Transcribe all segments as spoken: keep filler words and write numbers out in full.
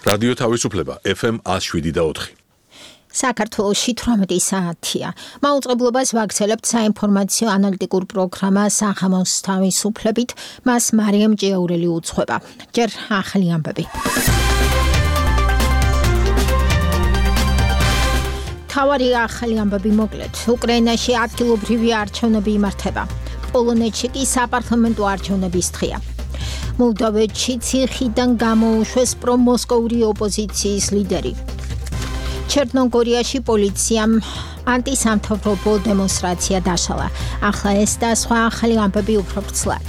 რადიო თავისუფლება ეფ ემ one oh seven და four. საქართველოში თვრამეტი საათია. მაუწყებლობას ვაგრძელებთ საინფორმაციო ანალიტიკურ პროგრამა სახამოს თავისუფლებით, მას მარიამ ჭიაურელი უძღვება. ჯერ ახალი ამბები. თავარი ახალი ამბები მოკლედ. უკრაინაში ადგილობრივი არჩევნები იმართება. პოლონეთში კი საპარლამენტო არჩევნების დღეა. მოლდოვეთში ციხიდან გამოუშვეს პრომოსკოვური ოპოზიციის ლიდერი. ჩერნოგორიაში პოლიციამ ანტისამთავრობო დემონსტრაცია დაშალა. ახლა ეს და სხვა ახალი ამბები უფრო ვრცლად.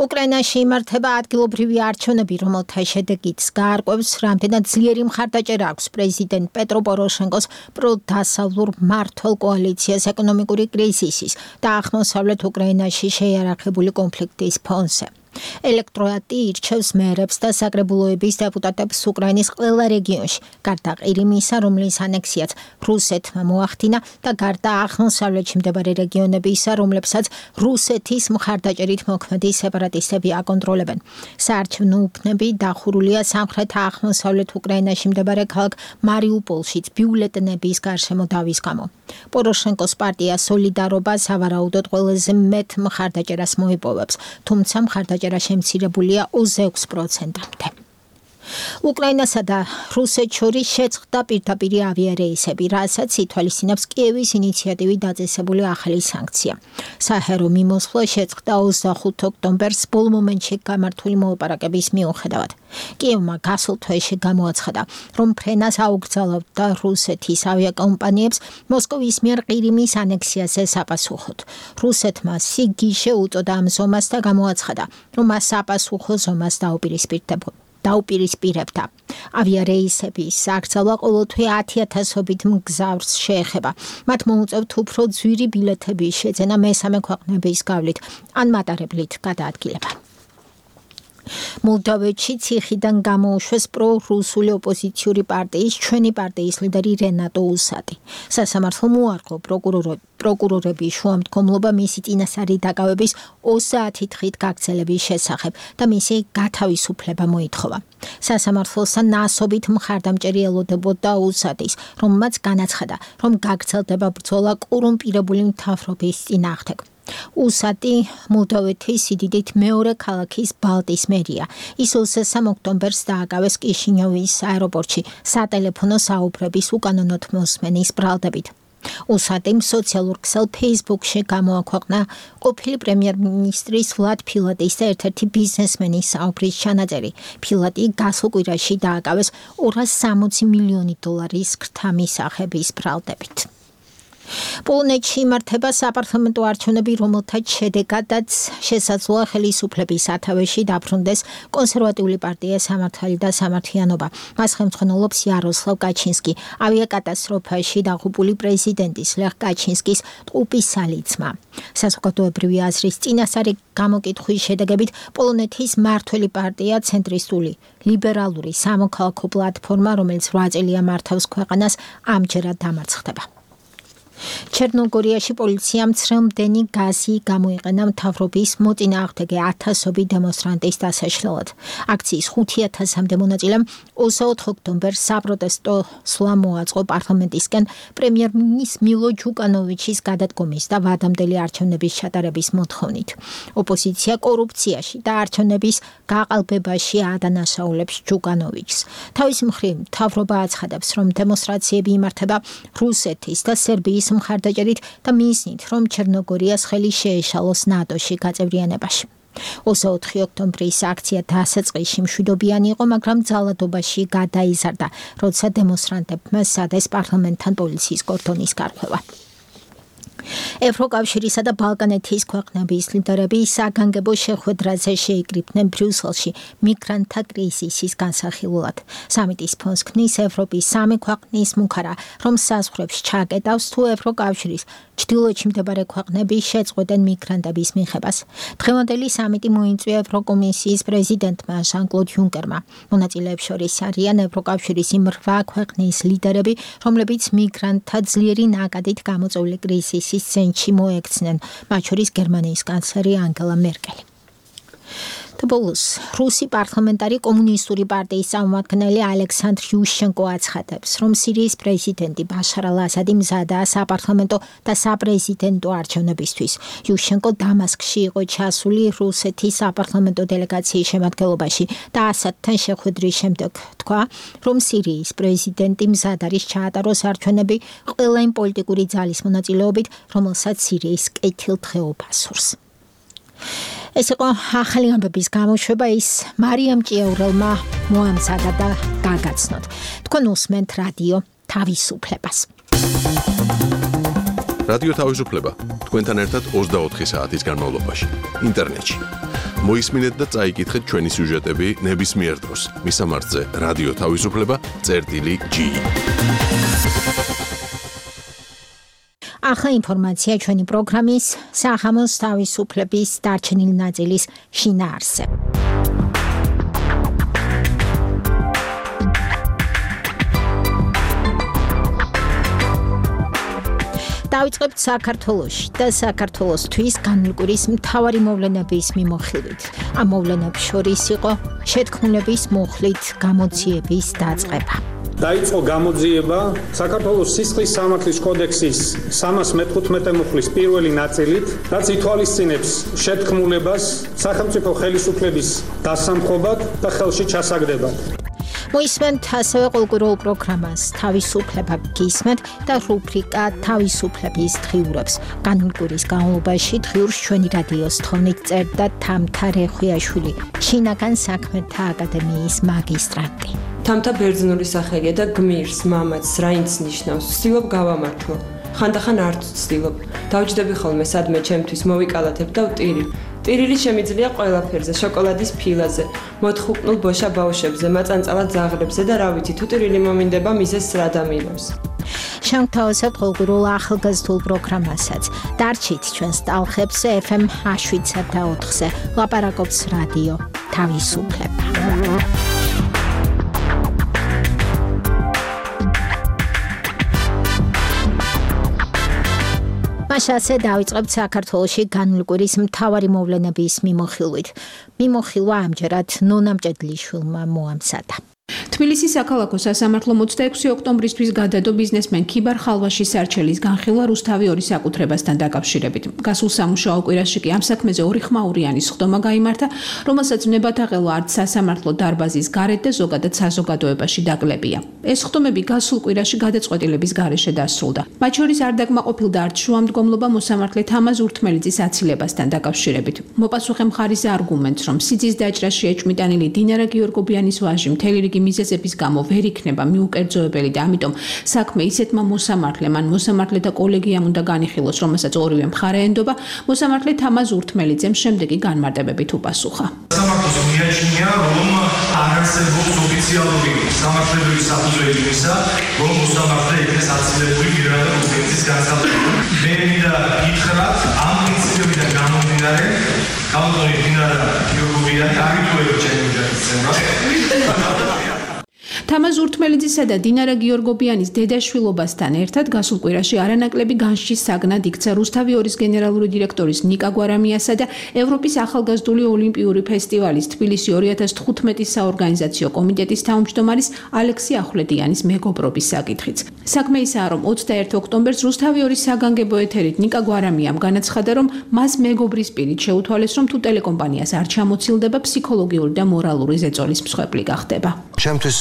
უკრაინაში იმართება ადგილობრივი არჩევნები, რომელთა შედეგიც გაარკვევს, რამდენად ძლიერი მხარდაჭერა აქვს პრეზიდენტ პეტრო პოროშენკოს პროდასავლურ მმართველ კოალიციას ეკონომიკური კრიზისის და აღმოსავლეთ უკრაინაში შეიარაღებული კონფლიქტის ფონზე. ელექტორატი ირჩევს მერებს და საკრებულოების დეპუტატებს უკრაინის ყველა რეგიონში, გარდა ყირიმისა, რომლის ანექსიაც რუსეთმა მოახდინა და გარდა აღმოსავლეთში მდებარე რეგიონებისა, რომლებსაც რუსეთის მხარდაჭერით მოქმედი სეპარატისტები აკონტროლებენ. საარჩევნო უბნები დახურულია სამხრეთ-აღმოსავლეთ უკრაინაში მდებარე ქალაქ მარიუპოლშიც ბიულეტენების გარშემო დავის გამო. პოროშენკოს პარტია სოლიდარობა სავარაუდოდ ყველაზე მეტ მხარდაჭერას მოიპოვებს, თუმცა მხარდაჭერა შემცირებულია ოცდაექვსი პროცენტამდე. უკრაინასა და რუსეთს შორის შეწყდა პირდაპირი ავიარეისები, რასაც ითვალისწინებს კიევის ინიციატივით დაწესებული ახალი სანქცია. საჰაერო მიმოსვლა შეწყდა ოცდახუთი ოქტომბერს ბოლო მომენტში გამართული მოლაპარაკების მიუხედავად. კიევმა გასულ თვეში გამოაცხადა, რომ ფრენას აუკრძალავდა რუსეთის ავიაკომპანიებს მოსკოვის მიერ ყირიმის ანექსიაზე საპასუხოდ. რუსეთმა სიგიჟე უწოდა ამ ზომას და გამოაცხადა, რომ მას საპასუხო ზომას დაუპირისპირდებოდა. დაუპირისპირებდა. ავიარეისების აკრძალვა ყოველთვე ათი ათასობით მგზავრს შეეხება. მათ მოუწევთ უფრო ძვირი ბილეთების შეძენა მესამე ქვეყნების გავლით ან მატარებლით გადაადგილება. მოლდოვეთში ციხიდან გამოუშვეს პრო-რუსული ოპოზიციური პარტიის ჩვენი პარტიის ლიდერი რენატო უსატი. სასამართლო მოარყო პროკურორების შუამდგომლობა მისი წინასწარი დაკავების ოცდაათი დღით გაგრძელების შესახებ და მისი გათავისუფლება მოითხოვა. სასამართლოსთან ნასობით მხარდამჭერი ელოდებოდა უსატის, რომელმაც განაცხადა, რომ გაგრძელდება ბრძოლა კორუმპირებული მთავრობის წინააღმდეგ. უსატი მოლდოვეთის სიდიდით მეორე ქალაქის ბალტის მერია. ის ოცდასამ ოქტომბერს დააკავეს კიშინიოვის აეროპორტში სატელეფონო საუბრების უკანონოდ მოსმენის ბრალდებით. უსატიმ სოციალურ ქსელ ფეისბუქში გამოაქვეყნა ყოფილი პრემიერ-მინისტრის ვლად ფილატის და ერთ-ერთი ბიზნესმენის საუბრის ჩანაწერი. ფილატი გასულ კვირაში დააკავეს ორასი სამოცი მილიონი დოლარის ქრთა მისაღების ბრალდებით. პოლონეთში იმართება საპარლამენტო არჩევნები, რომელთაც შედეგადაც შესაძლოა ხელისუფლების სათავეში დაბრუნდეს კონსერვატიული პარტია სამართალი და სამართლიანობა. მას ხელმძღვანელობს იაროსლავ კაჩინსკი, ავიაკატასტროფაში დაღუპული პრეზიდენტის ლეხ კაჩინსკის ტყუპის სალიცმა. საზოგადოებრივი აზრის წინასწარი გამოკითხვის შედეგებით პოლონეთის მმართველი პარტია ცენტრისტული ლიბერალური სამოქალაქო პლატფორმა, რომელიც რვა წელია მართავს ქვეყანას, ამჯერად დამარცხდება. ჩერნოგორიაში პოლიციამ ცრემლდენი გაზი გამოიყენა მთავრობის მოწინააღმდეგე ათასობით დემონსტრანტის დასაშლელად. აქციის ხუთი ათასამდე მონაწილემ ოცდაოთხ ოქტომბერს საპროტესტო სვლა მოაწყო პარლამენტისკენ პრემიერ-მინისტრის მილო ჯუკანოვიჩის გადადგომის და ვადამდელი არჩევნების ჩატარების მოთხოვნით. ოპოზიცია კორუფციაში და არჩევნების გაყალბებაში ადანაშაულებს ჯუკანოვიჩს. თავის მხრივ მთავრობა აცხადებს, რომ დემონსტრაციები იმართება რუსეთის და სერბიის მხარდაჭერით და მიზნით, რომ ჩერნოგორიას ხელი შეეშალოს ნატოში გაწევრიანებაში. ოცდაოთხი ოქტომბრის აქცია დასაწყისში მშვიდობიანი იყო, მაგრამ ძალადობაში გადაიზარდა, როცა დემონსტრანტებმა სადეს პარლამენტთან პოლიციის კორდონის გარღვევა. ევროკავშირისა და ბალკანეთის ქვეყნების ლიდერები საგანგებო შეხვედრაზე შეიკრიბნენ ბრიუსელში მიგრანტთა კრიზისის განსახილულად. სამიტის ფონს ქმნის ევროპის სამი ქვეყნის მუქარა, რომ საზღვრებს ჩაკეტავს თუ ევროკავშირის ჩრდილოეთში მდებარე ქვეყნები შეწყვეტენ მიგრანტების მიღებას. დღევანდელი სამიტი მოიწვია ევროკომისიის პრეზიდენტმა ჟან-კლოდ იუნკერმა. მონაწილეებს შორის არიან ევროკავშირის იმ რვა ქვეყნის ლიდერები, რომლებიც მიგრანტთა ძლიერი ნაკადით გამოწვეული კრიზისის ცენტრში მოექცნენ, მათ შორის გერმანიის კანცლერი ანგელა მერკელი. ბოლოს რუსი პარლამენტარი კომუნისტური პარტიის წარმომადგენელი ალექსანდრ იუშენკო აცხადებს, რომ სირიის პრეზიდენტი ბაშარ ალ-ასადი მზადაა საპარლამენტო და საპრეზიდენტო არჩევნებისთვის. იუშენკო დამასკში იყო ჩასული რუსეთის საპარლამენტო დელეგაციის შემადგენლობაში და ასადთან შეხვედრის შემდეგ თქვა, რომ სირიის პრეზიდენტი მზად არის ჩაატაროს არჩევნები ყველა იმ პოლიტიკური ძალის მონაწილეობით, რომელსაც სირიის კეთილდღეობა სურს. ეს იყო ახალი ამბების გამოშვება, ის მარიამ ჭიაურელმა მოამზადა და გაგაცნოთ. თქვენ უსმენთ რადიო თავისუფლებას. რადიო თავისუფლება თქვენთან ერთად ოცდაოთხი საათის განმავლობაში ინტერნეტში. მოისმინეთ და წაიკითხეთ ჩვენი სიუჟეტები ნებისმიერ დროს. მისამართზე რადიო თავისუფლება წერტილი ჯი. ახლა ინფორმაცია ჩვენი პროგრამის სახამოს თავისუფლების დარჩენილი ნაწილის შინაარსზე. დავიწყებთ საქართველოში და საქართველოსთვის განმკვირის მთავარი მოვლენების მიმოხილვით. ამ მოვლენებს შორის იყო შეთქმულების მუხლით გამოძიების დაწყება. დაიწყო გამოძიება საქართველოს სისხლის სამართლის კოდექსის სამას მეთხუთმეტე მუხლის პირველი ნაწილით, რაც ითვალისწინებს შეთქმულებას სახელმწიფო ხელისუფლების დასამხობად და ხელში ჩასაგდებად. მოისმენთ ასევე ყოველკვირეულ პროგრამას თავისუფლება გისმენთ და რუბრიკა თავისუფლების დღიურებს. განმკვირის განმავლობაში დღიურს ჩვენი რადიოს თხოვნით წერდა თამთა რეხვიაშვილი, შინაგან საქმეთა აკადემიის მაგისტრანტი. თამთა ბერძნული სახელია და გმირს, მამაც, რაინც ნიშნავს, ვცდილობ გავამართლო. ხანდახან არც ვცდილობ. დავჯდები ხოლმე სადმე ჩემთვის მოვიკალათებ და ვტირი. ტირილი შემიძლია ყველაფერზე, შოკოლადის ფილაზე, მოთხუპნულ ბოშა ბავშვებზე, მაწანწალად ზაღლებზე და რა ვიცი, თუ ტირილი მომინდება მიზეზს რა დამილავს. შევთავაზებთ ყოველკვირეულ ახალგაზრდულ პროგრამასაც. დარჩით ჩვენს ტალხებზე ეფ ემ შვიდსა და ოთხზე. ლაპარაკობს რადიო თავისუფლება. მასე დავიწყებთ საქართველოში განმკვირის მთავარი მოვლენების მიმოხილვით. მიმოხილვა ამჯერად ნონა მჭედლიშვილმა მოამზადა. თბილისის საქალაქო სასამართლო ოცდაექვსი ოქტომბრისთვის გადადო ბიზნესმენ ქიბარ ხალვაშის სარჩელის განხილვა რუსთავი ორი საკუთრებასთან დაკავშირებით. გასულ სამუშაო კვირაში კი ამ საქმეზე ორი ხმაურიანი სხდომა გაიმართა, რომელსაც ნებათაღელვა არც სასამართლო დარბაზის გარეთ და ზოგადად საზოგადოებაში დაკლებია. ეს სხდომები გასულ კვირაში გადაწყვეტილების გარეშე დასრულდა. მათ შორის არ დაკმაყოფილდა არც შუამდგომლობა მოსამართლე თამაზ ურთმელიძის აცილებასთან დაკავშირებით. მოპასუხე მხარის არგუმენტს, რომ სიძის დაჭრაში ეჭვმიტანილი დინარა გიორგობიანის ვაჟი მთელი რიგი მიზეზების გამო ვერ იქნება მიუკერძოებელი და ამიტომ საქმე ისეთმა მოსამართლემ ან მოსამართლეთა კოლეგიამ უნდა განიხილოს, რომელსაც ორივე მხარე ენდობა, მოსამართლე თამაზ ურთმელიძემ შემდეგი განმარტებებით უპასუხა. სასამართლოს მიაჩნია, რომ არ არსებობს ოფიციალური სამართლებრივი საფუძველი იმისა, რომ მოსამართლე იქნეს აცილებული მირადა რუსეთის განსაკუთრებით. მე მინდა გითხრათ, ამ პრინციპებიდან გამომდინარე, კანონი დინარა გიორგობიანი არ ითვლება ჩემი ოჯახის წევრად. თამაზ ურთმელიძისა და დინარა გიორგობიანის დედაშვილობასთან ერთად გასულ კვირაში არანაკლები განშჩის საგნად იქცა რუსთავი ორის გენერალური დირექტორის ნიკა გვარამიასა და ევროპის ახალგაზრდული ოლიმპიური ფესტივალის თბილისი ორი ათას თხუთმეტის საორგანიზაციო კომიტეტის თავმჯდომარის ალექსი ახვლედიანის მეგობრობის საკითხიც. საქმე ისაა, რომ ოცდაერთი ოქტომბერს რუსთავი ორის საგანგებო ეთერით ნიკა გვარამიამ განაცხადა, რომ მას მეგობრის პირით შეუთვალეს, რომ თუ ტელეკომპანიას არ ჩამოცილდება, ფსიქოლოგიური და მორალური ზეწოლის მსხვერპლი გახდება. ჩემთვის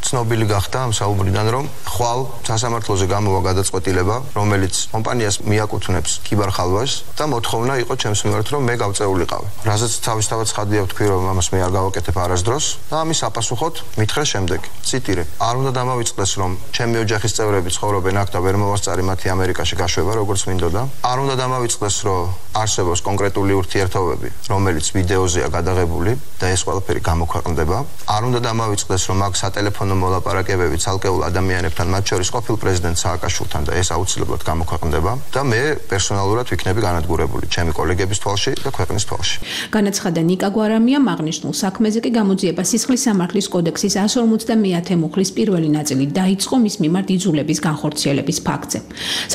ცნობილი გახდა ამ საუბრიდან, რომ ხვალ სასამართლოზე გამოვა გადაწყვეტილება, რომელიც კომპანიას მიაკუთვნებს ქიბარ ხალვაშს და მოთხოვნა იყო ჩემს მიმართ, რომ მე გავწეულიყავი. რაზეც თავისთავად ცხადია ვთქვი, რომ ამას მე არ გავაკეთებ არასდროს და ამის საპასუხოდ მითხრა შემდეგი. ციტირე: არ უნდა დამავიწყდეს, რომ ჩემი ოჯახის წევრები ცხოვრობენ აქ და ვერ მოვასწარი მათი ამერიკაში გაშვება, როგორც მინდოდა. არ უნდა დამავიწყდეს, რომ არსებობს კონკრეტული ურთიერთობები, რომელიც ვიდეოზეა გადაღებული და ეს ყველაფერი გამოქვეყნდება. არ უნდა დამავიწყდეს, რომ აქ სატელეფონო მოლაპარაკებები ცალკეულ ადამიანებთან, მათ შორის ყოფილ პრეზიდენტ სააკაშვილთან და ეს აუცილებლად გამოქვეყნდება და მე პერსონალურად ვიქნები განადგურებული ჩემი კოლეგების თვალში და ქვეყნის თვალში. განაცხადა ნიკა გვარამიამ, აღნიშნულ საქმეზე კი გამოძიება სისხლის სამართლის კოდექსის εκατს ორმოცდამეათე მუხლის პირველი ნაწილი დაიწყო მის მიმართ იძულების განხორციელების ფაქტზე.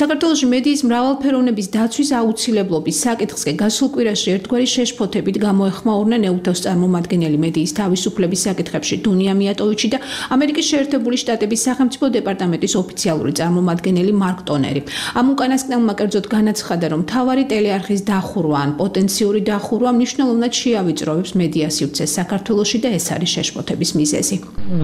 საქართველოში მედიის მრავალფეროვნების დაცვის აუცილებლობის საკითხს კი გასულ კვირაში ერთგვარი შეშფოთებით გამოეხმაურნენ ეუთოს წარმომადგენელი მედიის თავისუფლების საკითხებში დუნია მიატოვიჩი და ამერიკის შეერთებული შტატების სახელმწიფო დეპარტამენტის ოფიციალური წარმომადგენელი მარკ ტონერი. ამ უკანასკნელმა კერძოდ განაცხადა, რომ მთავარი ტელეარხის დახურვა ან პოტენციური დახურვა მნიშვნელოვნად შეავიწროვებს მედია სივრცეს საქართველოში და ეს არის შეშფოთების მიზეზი.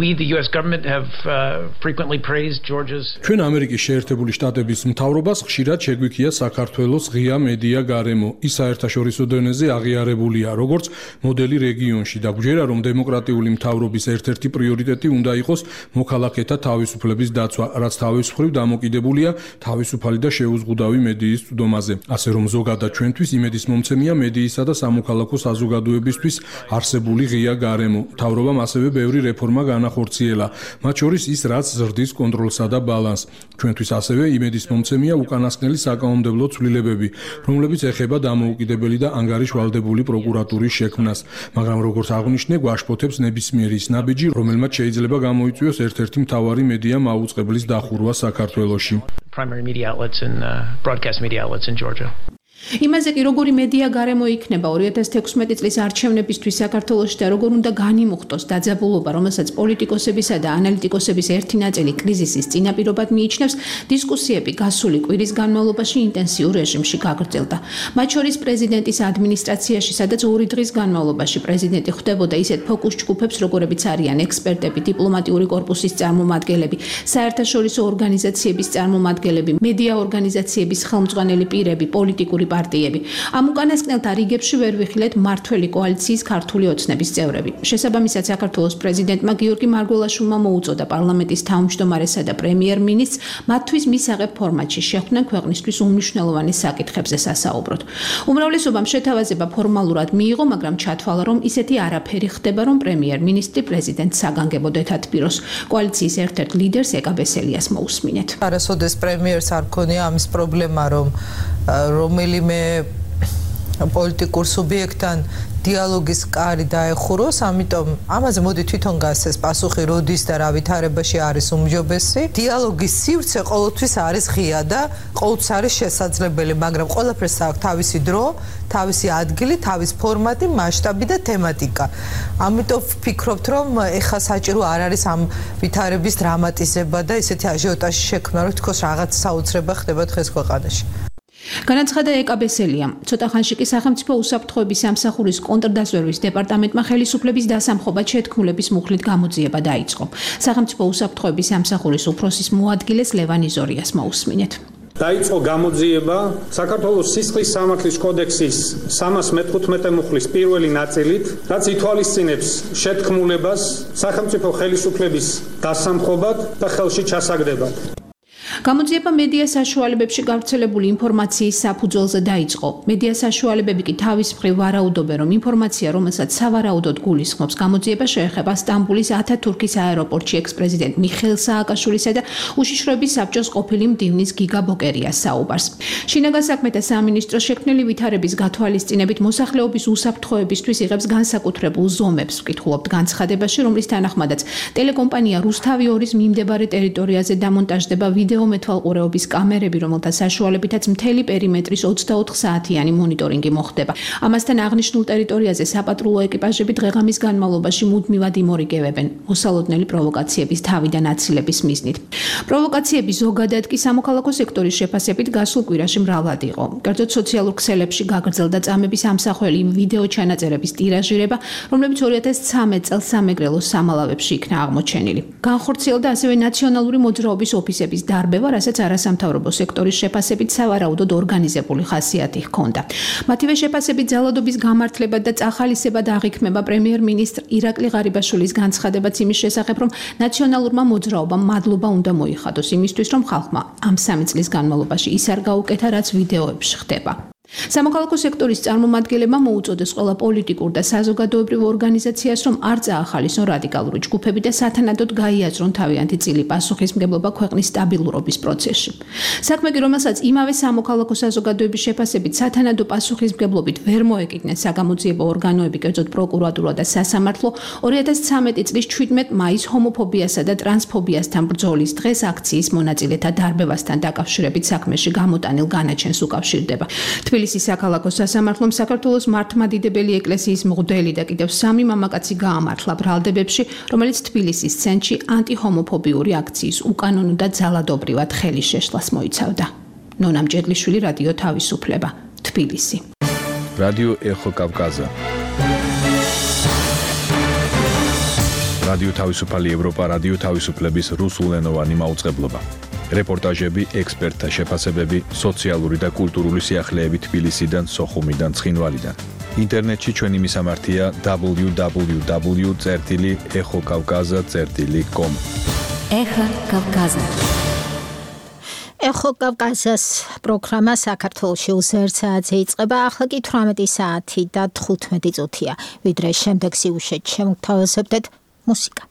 We the U S government have uh, frequently praised Georgia's ჩვენ ამერიკის შეერთებული შტატების მთავრობას ხშირად შეგვიქია საქართველოს ღია მედია გარემო. ის საერთაშორისო დონეზე აღიარებულია როგორც მოდელი რეგიონში და გვჯერა, რომ დემოკრატიული მთავრობის ერთ-ერთი პრიორიტეტი უნდა იყოს მოქალაქეთა თავისუფლების დაცვა, რაც თავისუფლად დამოკიდებულია თავისუფალი და შეუზღუდავი მედიის წვდომაზე. ასე რომ ზოგადად ჩვენთვის იმედის მომცემია მედიისა და სამოქალაქო საზოგადოებისთვის არსებული ღია გარემო. მთავრობამ ასევე ბევრი რეფორმა განახორციელა, მათ შორის ის, რაც ზრდის კონტროლსა და ბალანსს. ჩვენთვის ასევე იმედის მომცემია უკანასკნელი საკანონმდებლო ცვლილებები, რომლებიც ეხება დამოუკიდებელი და ანგარიშვალდებული პროკურატურის შექმნას, მაგრამ როგორც აღნიშნე, გვაშფოთებს ნებისმიერი ის ნაბიჯი, რომელმაც შეიძლება გამოიწვიოს ერთ-ერთი მთავარი მედია მაუწყებლის დახურვა საქართველოში. primary media outlets and uh, broadcast media outlets in Georgia. იმაზე კი როგორი მედია გარემო იქნება ორი ათას თექვსმეტი წლის არჩევნებისთვის საქართველოში და როგორ უნდა განიმუხტოს დაძაბულობა, რომელსაც პოლიტიკოსებისა და ანალიტიკოსების ერთი ნაწილი კრიზისის წინაპირობად მიიჩნევს, დისკუსიები გასული კვირის განმავლობაში ინტენსიურ რეჟიმში გაგრძელდა. მათ შორის პრეზიდენტის ადმინისტრაციაში, სადაც ორი დღის განმავლობაში პრეზიდენტი ხვდებოდა ისეთ ფოკუს ჯგუფებს, როგორებიც არიან ექსპერტები, დიპლომატიური კორპუსის წარმომადგენლები, საერთაშორისო ორგანიზაციების წარმომადგენლები, მედია ორგანიზაციების ხელმძღვანელი პირები, პოლიტიკური პარტიები. ამ უკანასკნელთა რიგებში ვერ ვიხილეთ მართველი კოალიციის ქართული ოცნების წევრები. შესაბამისად, საქართველოს პრეზიდენტმა გიორგი მარგველაშვილმა მოუწოდა პარლამენტის თავმჯდომარესა და პრემიერ-მინისტრს მათთვის მისაღებ ფორმატში შეხვდნენ ქვეყნისთვის უმნიშვნელოვანეს საკითხებზე სასაუბროთ. უმრავლესობამ შეთავაზება ფორმალურად მიიღო, მაგრამ ჩათვალა, რომ ისეთი არაფერი ხდება, რომ პრემიერ-მინისტრი პრეზიდენტს საგანგებოდ ეთათბიროს. კოალიციის ერთ-ერთ ლიდერს ეკა ბესელიას მოусმინეთ. არასოდეს პრემიერს არ ქონია ამის პრობლემა, რომ რომელიმე პოლიტიკურ სუბიექტთან დიალოგის კარი დაეხუროს, ამიტომ ამაზე მოდი თვითონ გასცეს პასუხი როდის და რა ვითარებაში არის უმჯობესი. დიალოგის სივრცე ყოველთვის არის ღია და ყოველთვის არის შესაძლებელი, მაგრამ ყველაფერს აქვს თავისი დრო, თავისი ადგილი, თავისი ფორმატი, მასშტაბი და თემატიკა. ამიტომ ვფიქრობთ, რომ ეხა საჭირო არ არის ამ ვითარების დრამატიზება და ისეთი აჟიოტაჟი შექმნა, რომ თქოს რაღაც საოცრება ხდება დღეს ქვეყანაში. განაცხადა ეკა ბესელიამ. ცოტა ხანში კი სახელმწიფო უსაფრთხოების სამსახურის კონტრდაზვერვის დეპარტამენტმა ხელისუფლების დასამხობად შეთქმულების მუხლით გამოძიება დაიწყო. სახელმწიფო უსაფრთხოების სამსახურის უფროსის მოადგილეს ლევან იზორიას მოусმინეთ. დაიწყო გამოძიება საქართველოს სისხლის სამართლის კოდექსის სამას მეთხუთმეტე მუხლის პირველი ნაწილით, რაც ითვალისწინებს შეთქმულებას სახელმწიფო ხელისუფლების დასამხობად და ხელში ჩასაგდებად. გამოძიება მედია საშუალებებში გავრცელებული ინფორმაციის საფუძველზე დაიწყო. მედია საშუალებები კი თავის მხრივ ვარაუდობენ, რომ ინფორმაცია, რომელსაც სავარაუდოდ გულისხმობს, გამოძიება შეეხება სტამბულის ათათურქის აეროპორტში ექს-პრეზიდენტ მიხეილ სააკაშვილისა და უშიშროების საბჭოს ყოფილი მდივნის გიგა ბოკერიას საუბარს. შინაგან საქმეთა სამინისტრო შექმნილი ვითარების გათვალისწინებით მოსახლეობის უსაფრთხოებისთვის იღებს განსაკუთრებულ ზომებს, ვკითხულობთ განცხადებაში, რომლის თანახმადაც ტელეკომპანია რუსთავი ორის მიმდებარე ტერიტორიაზე დამონტაჟდება ვიდეო მეთვალყურეობის კამერები, რომელთა საშუალებითაც მთელი პერიმეტრის ოცდაოთხ საათიანი მონიტორინგი მოხდება. ამასთან აღნიშნულ ტერიტორიაზე საპატრულო ეკიპაჟები დღეღამის განმავლობაში მუდმივად იმორიგებენ მოსალოდნელი პროვოკაციების თავიდან აცილების მიზნით. პროვოკაციები ზოგადად კი სამოქალაქო სექტორის შეფასებით გასულ კვირაში მრავლად იყო. კერძოდ სოციალურ ქსელებში გაგრძელდა წამების ამსახველი ვიდეო ჩანაწერების ტირაჟირება, რომლებიც ორი ათას ცხრამეტ წელს სამეგრელოს სამალავებში იქნა აღმოჩენილი. განხორციელდა ასევე ნაციონალური მოძრაობის ოფისების დარბევა, რასაც არასამთავრობო სექტორის შეფასებით სავარაუდოდ ორგანიზებული ხასიათი ჰქონდა. მათივე შეფასებით ძალადობის გამართლება და წახალისება აღიქმება პრემიერ-მინისტრ ირაკლი ღარიბაშვილის განცხადებაც იმის შესახებ, რომ ნაციონალურმა მოძრაობამ მადლობა უნდა მოიხადოს იმისთვის, რომ ხალხმა ამ სამი წლის განმავლობაში ის არ გაუკეთა, რაც ვიდეოებში ხდება. სამოქალაქო სექტორის წარმომადგენლებმა მოუწოდეს ყველა პოლიტიკურ და საზოგადოებრივ ორგანიზაციას, რომ არ წაახალისონ რადიკალური ჯგუფები და სათანადოდ გაიაზრონ თავიანთი წილი პასუხისმგებლობა ქვეყნის სტაბილურობის პროცესში. საქმე კი, რომელსაც იმავე სამოქალაქო საზოგადოების შეფასებით სათანადო პასუხისმგებლობით ვერ მოეკიდნენ საგამოძიებო ორგანოები, კერძოდ პროკურატურა და სასამართლო, ორი ათას ცხრამეტი წლის შვიდმეტ მაისს ჰომოფობიასა და ტრანსფობიასთან ბრძოლის დღეს აქციის მონაწილეთა დარბევასთან დაკავშირებით საქმეში გამოტანილ განაჩენს უკავშირდება. თბილისის საქალაქო სასამართლომ საქართველოს მართლმადიდებელი ეკლესიის მღვდელი და კიდევ სამი მამაკაცი გაამართლა ბრალდებებში, რომელიც თბილისის ცენტრში ანტიჰომოფობიური აქციის უკანონო და ძალადობრივად ხელის შეშლას მოიცავდა. ნონა მჭედლიშვილი, რადიო თავისუფლება, თბილისი. რადიო ეხო კავკაზა. რადიო თავისუფალი ევროპა, რადიო თავისუფლების რუსულენოვანი მაუწყებლობა. რეპორტაჟები, ექსპერტთა შეფასებები, სოციალური და კულტურული სიახლეები თბილისიდან, სოხუმიდან, ცხინვალიდან. ინტერნეტში ჩვენი მისამართია double-u double-u double-u წერტილი ეხო კავკაზა წერტილი com. ეხო კავკაზა. ეხო კავკაზას პროგრამა საქართველოში უსერთ საათზე იწყება, ახლა კი თვრამეტი საათი და თხუთმეტი წუთია. ვიდრე შემდეგ სიუჟეტში შემოგთავაზებდეთ მუსიკა.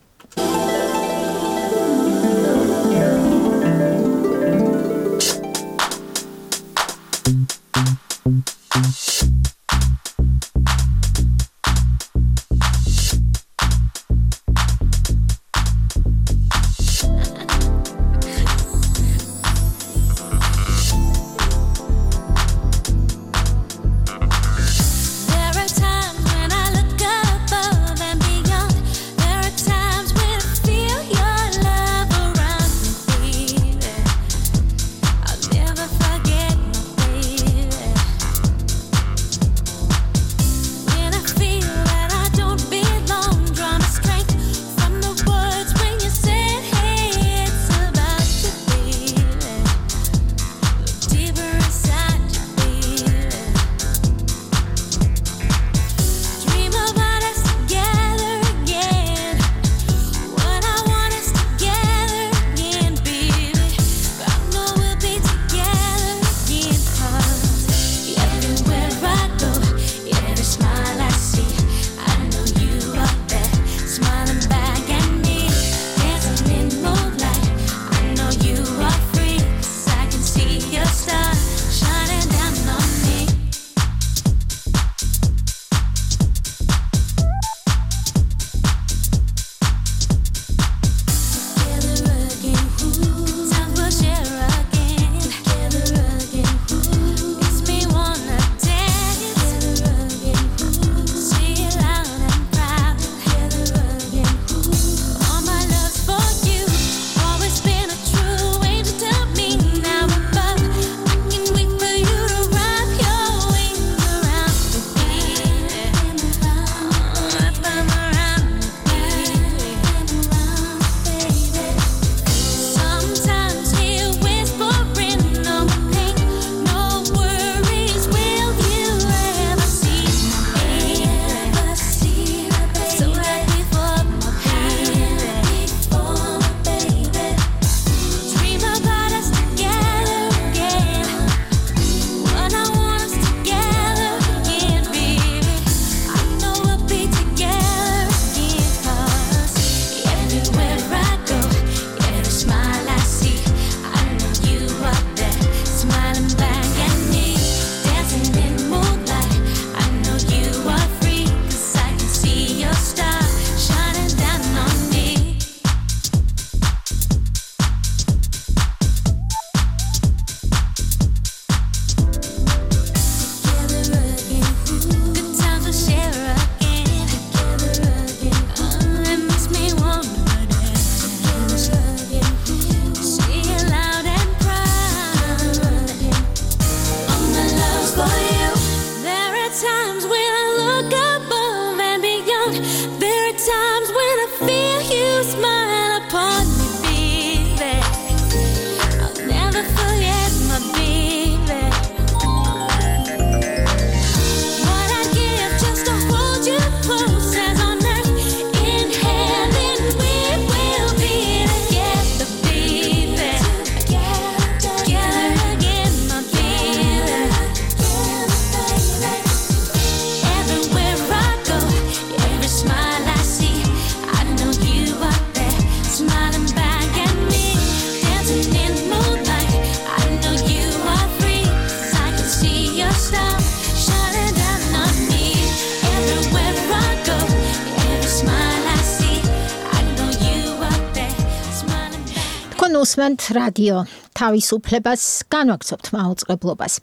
უსმენთ რადიო თავისუფლებას, განვაგრძობთ მაუწყებლობას.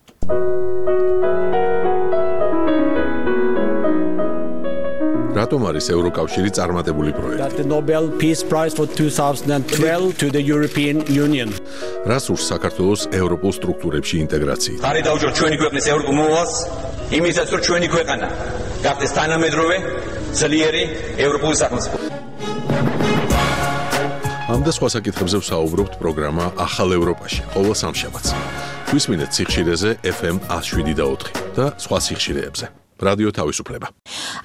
რატომ არის ევროკავშირი წარმატებული პროექტი? That the Nobel Peace Prize for twenty twelve to the European Union. რას ურს საქართველოს ევროპულ სტრუქტურებში ინტეგრაციით? ხარი დავუჯეროთ ჩვენი ქვეყნის ევროპულ მოვალს, იმისაც რომ ჩვენი ქვეყანა გახდეს თანამედროვე, ძლიერი ევროპული სახელმწიფო. ამ და სხვა საკითხებზე ვსაუბრობთ პროგრამა ახალ ევროპაში, ყოველ სამშაბათს. გვისმინეთ სიხშირეზე ეფ ემ one oh seven და four და სხვა სიხშირეებზე. რადიო თავისუფლება.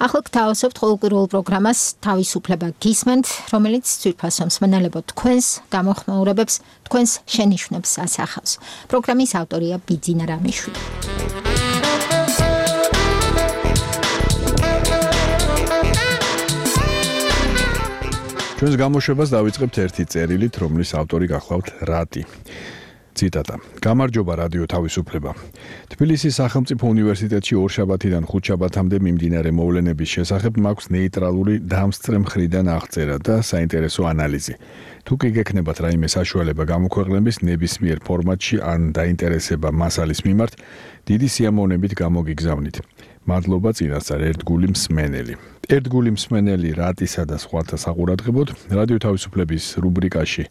ახლა გთავაზობთ ყოველკვირეულ პროგრამას თავისუფლება გისმენთ, რომელიც ძვირფასო მსმენელებო თქვენს გამოხმაურებებს, თქვენს შენიშვნებს ასახავს. პროგრამის ავტორია ბიძინა რამიშვილი. ჩვენს გამოშვებას დავიწყებთ ერთი წერილით, რომლის ავტორი გახლავთ რატი. ციტატა. გამარჯობა რადიო თავისუფლება. თბილისის სახელმწიფო უნივერსიტეტში ორშაბათიდან ხუთშაბათამდე მიმდინარე მოვლენების შესახებ მაქვს ნეიტრალური დამსწრე მხრიდან აღწერა და საინტერესო ანალიზი. თუ კი გექნებათ რაიმე საშუალება გამოქვეყნების ნებისმიერ ფორმატში ან დაინტერესება მასალის მიმართ, დიდი სიამოვნებით გამოგიგზავნით. მადლობა წინასწარ ერთგული მსმენელი. ერთგული მსმენელი რატისა და სხვათა საყურადღებოდ რადიო თავისუფლების რუბრიკაში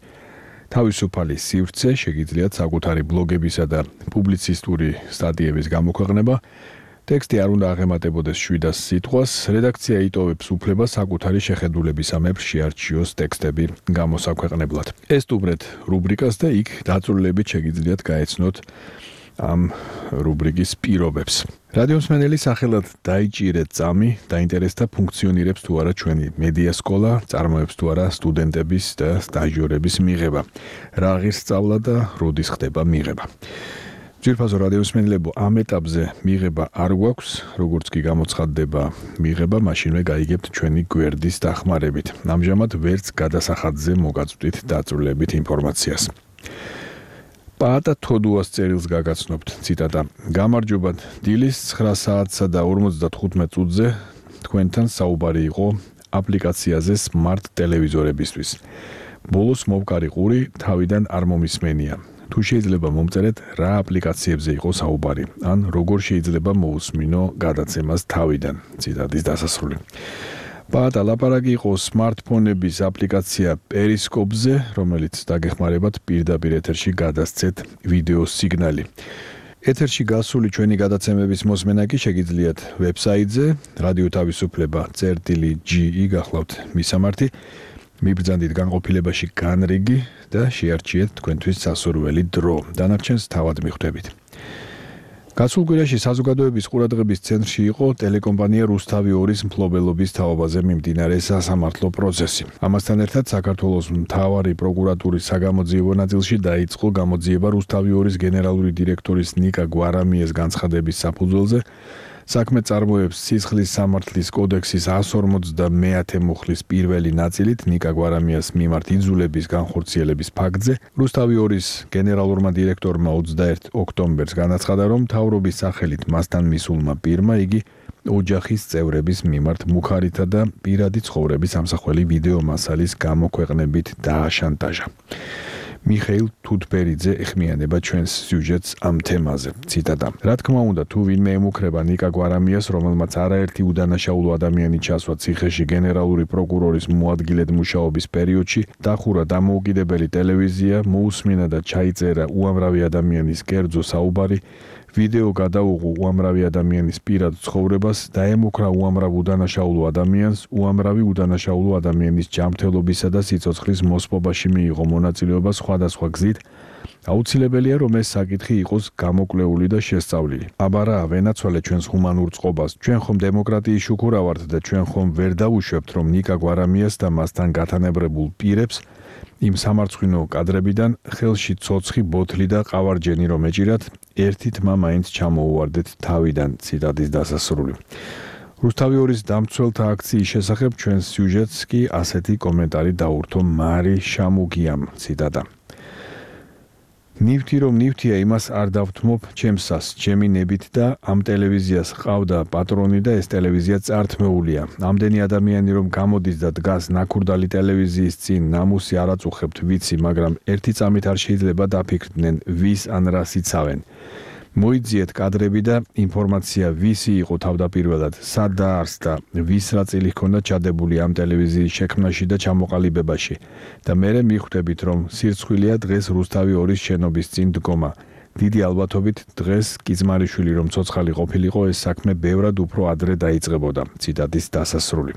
თავისუფალი სივრცე შეგიძლიათ საკუთარი ბლოგებისა და პუბლიცისტური სტატიების გამოქვეყნება. ტექსტი არ უნდა აღემატებოდეს შვიდას სიტყვას. რედაქცია იტოვებს უფლებას საკუთარი შეხედულებისამებრ შეარჩიოს ტექსტები გამოსაქვეყნებლად. ესტუმრეთ რუბრიკას და იქ დაწვრილებით შეგიძლიათ გაეცნოთ ამ რუბრიკის პირობებს. რადიომსმენელი სახელად დაიჭირეთ წამი, დაინტერესდა ფუნქციონირებს თუ არა ჩვენი მედია სკოლა, წარმოებს თუ არა სტუდენტების და სტაჟიორების მიღება. რა ღირს სწავლა და როდის ხდება მიღება. ძვირფასო რადიომსმენელებო, ამ ეტაპზე მიღება არ გვაქვს, როგორც კი გამოცხადდება მიღება, მაშინვე გაიგებთ ჩვენი გვერდის დახმარებით. ამჟამად ვერც გადასახადზე მოგაწვდით დაწვრილებით ინფორმაციას. პაატა თოდუას წერილს გაგაცნობთ. ციტატა. გამარჯობათ, დილის ცხრა საათსა და ორმოცდათხუთმეტ წუთზე თქვენთან საუბარი იყო აპლიკაციაზე smart ტელევიზორებისთვის. ბოლოს მოვკარი ყური თავიდან არ მომისმენია. თუ შეიძლება მომწერეთ რა აპლიკაციებზე იყო საუბარი, ან როგორ შეიძლება მოусმინო გადაცემას თავიდან. ციტატის დასასრული. პაატა ლაპარაკი იყო smartphone-ების აპლიკაცია Periscope-ზე, რომელიც დაგეხმარებათ პირდაპირ ეთერში გადასცეთ ვიდეო სიგნალი. ეთერში გასული ჩვენი გადაცემების მოსმენა კი შეგიძლიათ ვებსაიტზე რადიო თავისუფლება წერტილი ჯი გახლავთ მისამართი. მიბრძანდით განყოფილებაში განრიგი და შეარჩიეთ თქვენთვის სასურველი დრო. დანარჩენს თავად მიხვდებით. გასულ კვირაში საზოგადოების ყურადღების ცენტრში იყო ტელეკომპანია რუსთავი ორის მფლობელობის თაობაზე მიმდინარე სასამართლო პროცესი. ამასთან ერთად საქართველოს მთავარი პროკურატურის საგამოძიებო ნაწილში დაიწყო გამოძიება რუსთავი ორის გენერალური დირექტორის ნიკა გვარამიეს განცხადების საფუძველზე. საქმე წარმოებს სისხლის სამართლის კოდექსის one forty-მეათე მუხლის პირველი ნაწილით ნიკა გვარამიას მიმართ იძულების განხორციელების ფაქტზე. რუსთავი ორის გენერალურმა დირექტორმა ოცდაერთი ოქტომბერს განაცხადა, რომ მთავრობის სახელით მასთან მისულმა პირმა იგი ოჯახის წევრების მიმართ მუხარითა და პირადი ცხოვრების ამსახველი ვიდეო მასალის გამოქვეყნებით დააშანტაჟა. მიხეილ თუთბერიძე ეხმიანება ჩვენს სიუჟეტს ამ თემაზე. ციტატა. რა თქმა უნდა, თუ ვინმე ემუქრება ნიკა გვარამიას, რომელმაც არაერთი უდანაშაულო ადამიანი ჩასვა ციხეში გენერალური პროკურორის მოადგილედ მუშაობის პერიოდში, დახურა დამოუკიდებელი ტელევიზია, მოусმინა და ჩაიწერა უამრავი ადამიანის კერძო საუბარი, ვიდეო გადაუღო უამრავი ადამიანის პირად ცხოვრებას, დაემუქრა უამრავ უდანაშაულო ადამიანს, უამრავი უდანაშაულო ადამიანის ჯანმრთელობისა და სიცოცხლის მოსპობაში მიიღო მონაწილეობა სხვადასხვა გზით. აუცილებელია, რომ ეს საკითხი იყოს გამოკლეული და შესწავლილი. აბარა, ვენაცვალე ჩვენს ჰუმანურ წყობას. ჩვენ ხომ დემოკრატიის შუქურა ვართ და ჩვენ ხომ ვერ დავუშვებთ, რომ ნიკა გვარამიას და მასთან გათანებრებულ პირებს იმ სამარცხვინო კადრებიდან ხელში ცოცხი ბოთლი და ყავარჯენი რომ ეჭირათ, ერთი თმა მაინც ჩამოუვარდეთ თავიდან. ციტატის დასასრული. რუსთავი ორის დამცველთა აქციის შესახებ ჩვენს სიუჟეტს კი ასეთი კომენტარი დაურთო მარი შამუგიამ. ციტატა. ნივთი რომ ნივთია, იმას არ დავთმობ ჩემსას, ჩემი ნებით და ამ ტელევიზიას ყავდა პატრონი და ეს ტელევიზია წართმეულია. ამდენი ადამიანი რომ გამოდის და დგას ნაქურდალი ტელევიზიის წინ, ნამუსი არ აწუხებთ, ვიცი, მაგრამ ერთი წამით არ შეიძლება დაფიქრდნენ, ვის ან რას იცავენ. მოიძიეთ კადრები და ინფორმაცია ვისი იყო თავდაპირველად, სად დაარსდა, ვის რა წილი ჰქონდა ჩადებული ამ ტელევიზიის შექმნაში და ჩამოყალიბებაში და მერე მიხვდებით, რომ სირცხვილია დღეს რუსთავი ორის შენობის წინ დგომა. დიდი ალბათობით დღეს კიზმარიშვილი რომ ცოცხალი ყოფილიყო, ეს საქმე ბევრად უფრო ადრე დაიწყებოდა. ციტატის დასასრული.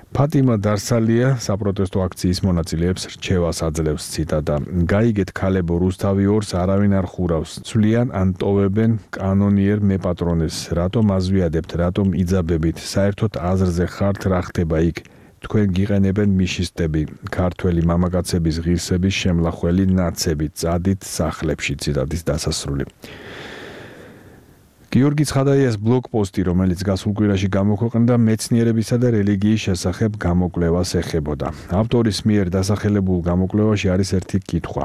ფატიმა დარსალია საპროტესტო აქციის მონაწილეებს რჩევას აძლევს. ციტატა: გაიგეთ ქალებო, რუსთავი ორს არავინ არ ხურავს. ცვლიან ან ტოვებენ კანონიერ მეპატრონეს. რატომ აზვიადებთ, რატომ იძაბებით? საერთოდ აზრზე ხართ რა ხდება იქ? თქვენ გიყენებენ მიშისტები, ქართველი მამაკაცების ღირსების შემლახველი ნაცები, წადით სახლებში. ციტატის დასასრული. გიორგი ცხადაიას ბლოგპოსტი, რომელიც გასულ კვირაში გამოქვეყნდა, მეცნიერებისა და რელიგიის შესახებ გამოკვლევას ეხებოდა. ავტორის მიერ დასახელებულ გამოკვლევაში არის ერთი კითხვა.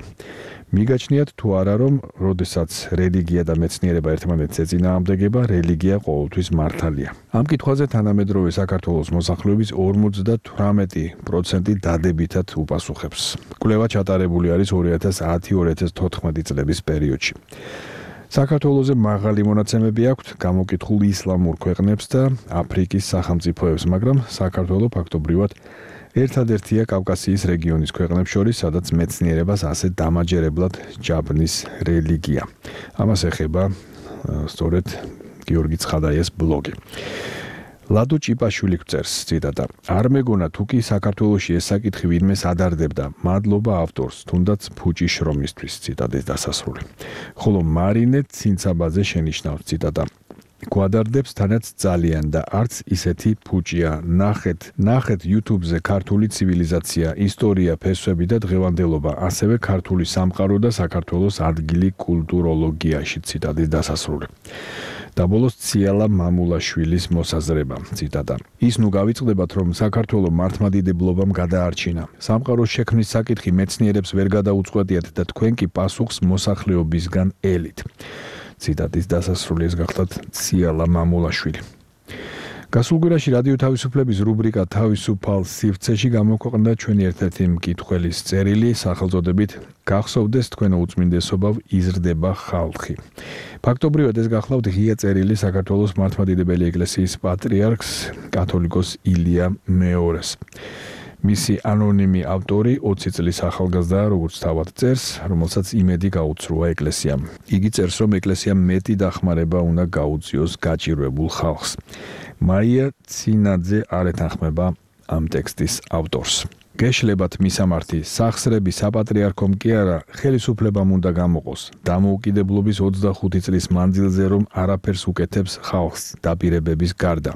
მიგაჩნიათ თუ არა, რომ როდესაც რელიგია და მეცნიერება ერთმანეთს ეწინააღმდეგება, რელიგია ყოველთვის მართალია. ამ კითხვაზე თანამედროვე საქართველოს მოსახლეობის ორმოცდათვრამეტი პროცენტი დადებითად უპასუხებს. კვლევა ჩატარებული არის ორი ათას ათი ორი ათას თოთხმეტი წლების პერიოდში. საქართველოზე მაღალი მონაცემები აქვთ გამოკითხულ ისლამურ ქვეყნებს და აფრიკის სახელმწიფოებს, მაგრამ საქართველო ფაქტობრივად ერთადერთია კავკასიის რეგიონის ქვეყნებს შორის, სადაც მეცნიერებას ასე დამაჯერებლად ჯაბნის რელიგია. ამას ეხება სწორედ გიორგი ცხადაიას ბლოგი. ლადო ჭიპაშვილი გვწერს, ციტატა: არ მეგონა თუ კი საქართველოში ეს საკითხი ვინმეს ადარდებდა, მადლობა ავტორს, თუნდაც ფუჭი შრომისთვის. ციტატის დასასრული. ხოლო მარინე ცინცაბაძე შენიშნავს, ციტატა: გვადარდებს თანაც ძალიან და არც ისეთი ფუჭია. ნახეთ, ნახეთ YouTube-ზე ქართული ცივილიზაცია, ისტორია, ფესვები და დღევანდელობა, ასევე ქართული სამყარო და საქართველოს ადგილი კულტუროლოგიაში. ციტატის დასასრული. და ბოლოს ციალა მამულაშვილის მოსაზრება, ციტატა: ის ნუ გავიწყდებათ, რომ საქართველო მართლმადიდებლობამ გადაარჩინა. სამყაროს შექმნის საკითხი მეცნიერებს ვერ გადაუწყვეტიათ და თქვენ კი პასუხს მოსახლეობისგან ელით. ციტატის დასასრული. ეს გახლავთ ციალა მამულაშვილი. გასულ კვირაში რადიო თავისუფლების რუბრიკა თავისუფალ სივრცეში გამოქვეყნდა ჩვენი ერთ-ერთი მკითხველის წერილი სახელწოდებით გახსოვდეს თქვენო უწმინდესობავ იზრდება ხალხი. ფაქტობრივად ეს გახლავთ ღია წერილი საქართველოს მართლმადიდებელი ეკლესიის პატრიარქს კათოლიკოს ილია მეორეს. მისი ანონიმი ავტორი ოცი წლის ახალგაზრდაა, როგორც თავად წერს, რომელსაც იმედი გაუცრუა ეკლესიამ. იგი წერს, რომ ეკლესიამ მეტი დახმარება უნდა გაუწიოს გაჭირვებულ ხალხს. მაია ცინაძე არ ეთანხმება ამ ტექსტის ავტორს. გეშლებათ მისამართი, სახსრები საპატრიარქომ კი არა, ხელისუფლებამ უნდა გამოყოს. დამოუკიდებლობის ოცდახუთი წლის მანძილზე რომ არაფერს უკეთებს ხალხს დაპირებების გარდა.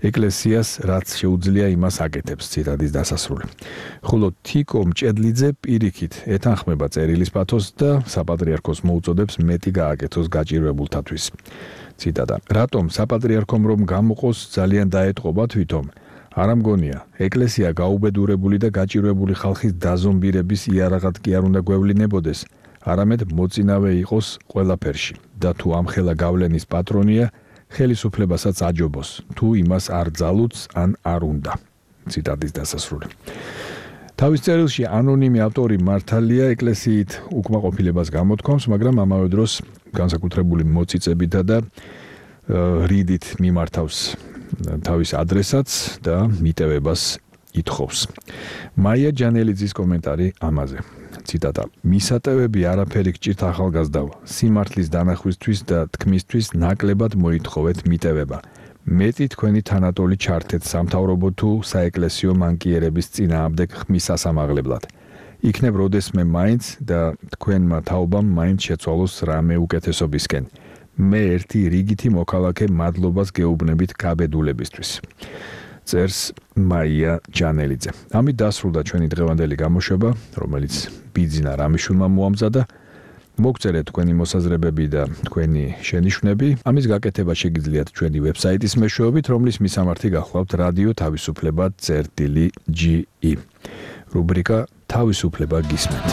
ეკლესიას რაც შეუძლია იმას აკეთებს. ციტატის დასასრული. ხოლო თიკო მჭედლიძე პირიქით ეთანხმება წერილის პათოსს და საპატრიარქოს მოუწოდებს მეტი გააკეთოს გაჭირვებულთათვის. ციტატა: რატომ საპატრიარქომ რომ გამოყოს ძალიან დაეტყობა თვითონ? არ ამგონია, ეკლესია გაუბედურებული და გაჭირვებული ხალხის დაზომბირების იარაღად კი არ უნდა გვევლინებოდეს, არამედ მოწინავე იყოს ყველაფერში და თუ ამხელა გავლენის პატრონია, ხელისუფლებასაც აჯობოს, თუ იმას არ ძალუძს ან არ უნდა. ციტატის დასასრული. თავის წერილში ანონიმი ავტორი მართალია ეკლესიით უკმაყოფილებას გამოთქვამს, მაგრამ ამავე დროს განსაკუთრებული მოწიწებითა და რიდით მიმართავს თავის ადრესატს და მიტევებას ითხოვს. მაია ჯანელიძის კომენტარი ამაზე. ციტატა: მისატევები არაფერი გჭირთ ახალგაზრდავ, სიმართლის დანახვისთვის და თქმისთვის ნაკლებად მოითხოვეთ მიტევება. მეტი თქვენი თანატოლი ჩართეთ სამთავრობო თუ საეკლესიო მანკიერების წინააღმდეგ ხმის სასამაღლებლად. იქნებ როდესმე მაინც და თქვენმა თაობამ მაინც შეცვალოს რამე უკეთესობისკენ. მე ერთი რიგითი მოქალაქე მადლობას გეუბნებით გაბედულებისთვის. წერს მაია ჯანელიძე. ამით დასრულდა ჩვენი დღევანდელი გამოშვება, რომელიც ბიძინა რამიშვილმა მოამზადა. მოგწერეთ თქვენი მოსაზრებები და თქვენი შენიშვნები. ამის გაკეთება შეგიძლიათ ჩვენი ვებსაიტის მეშვეობით, რომლის მისამართი გახლავთ რადიო თავისუფლება წერტილი ჯი ი. რუბრიკა თავისუფლება გისმენთ.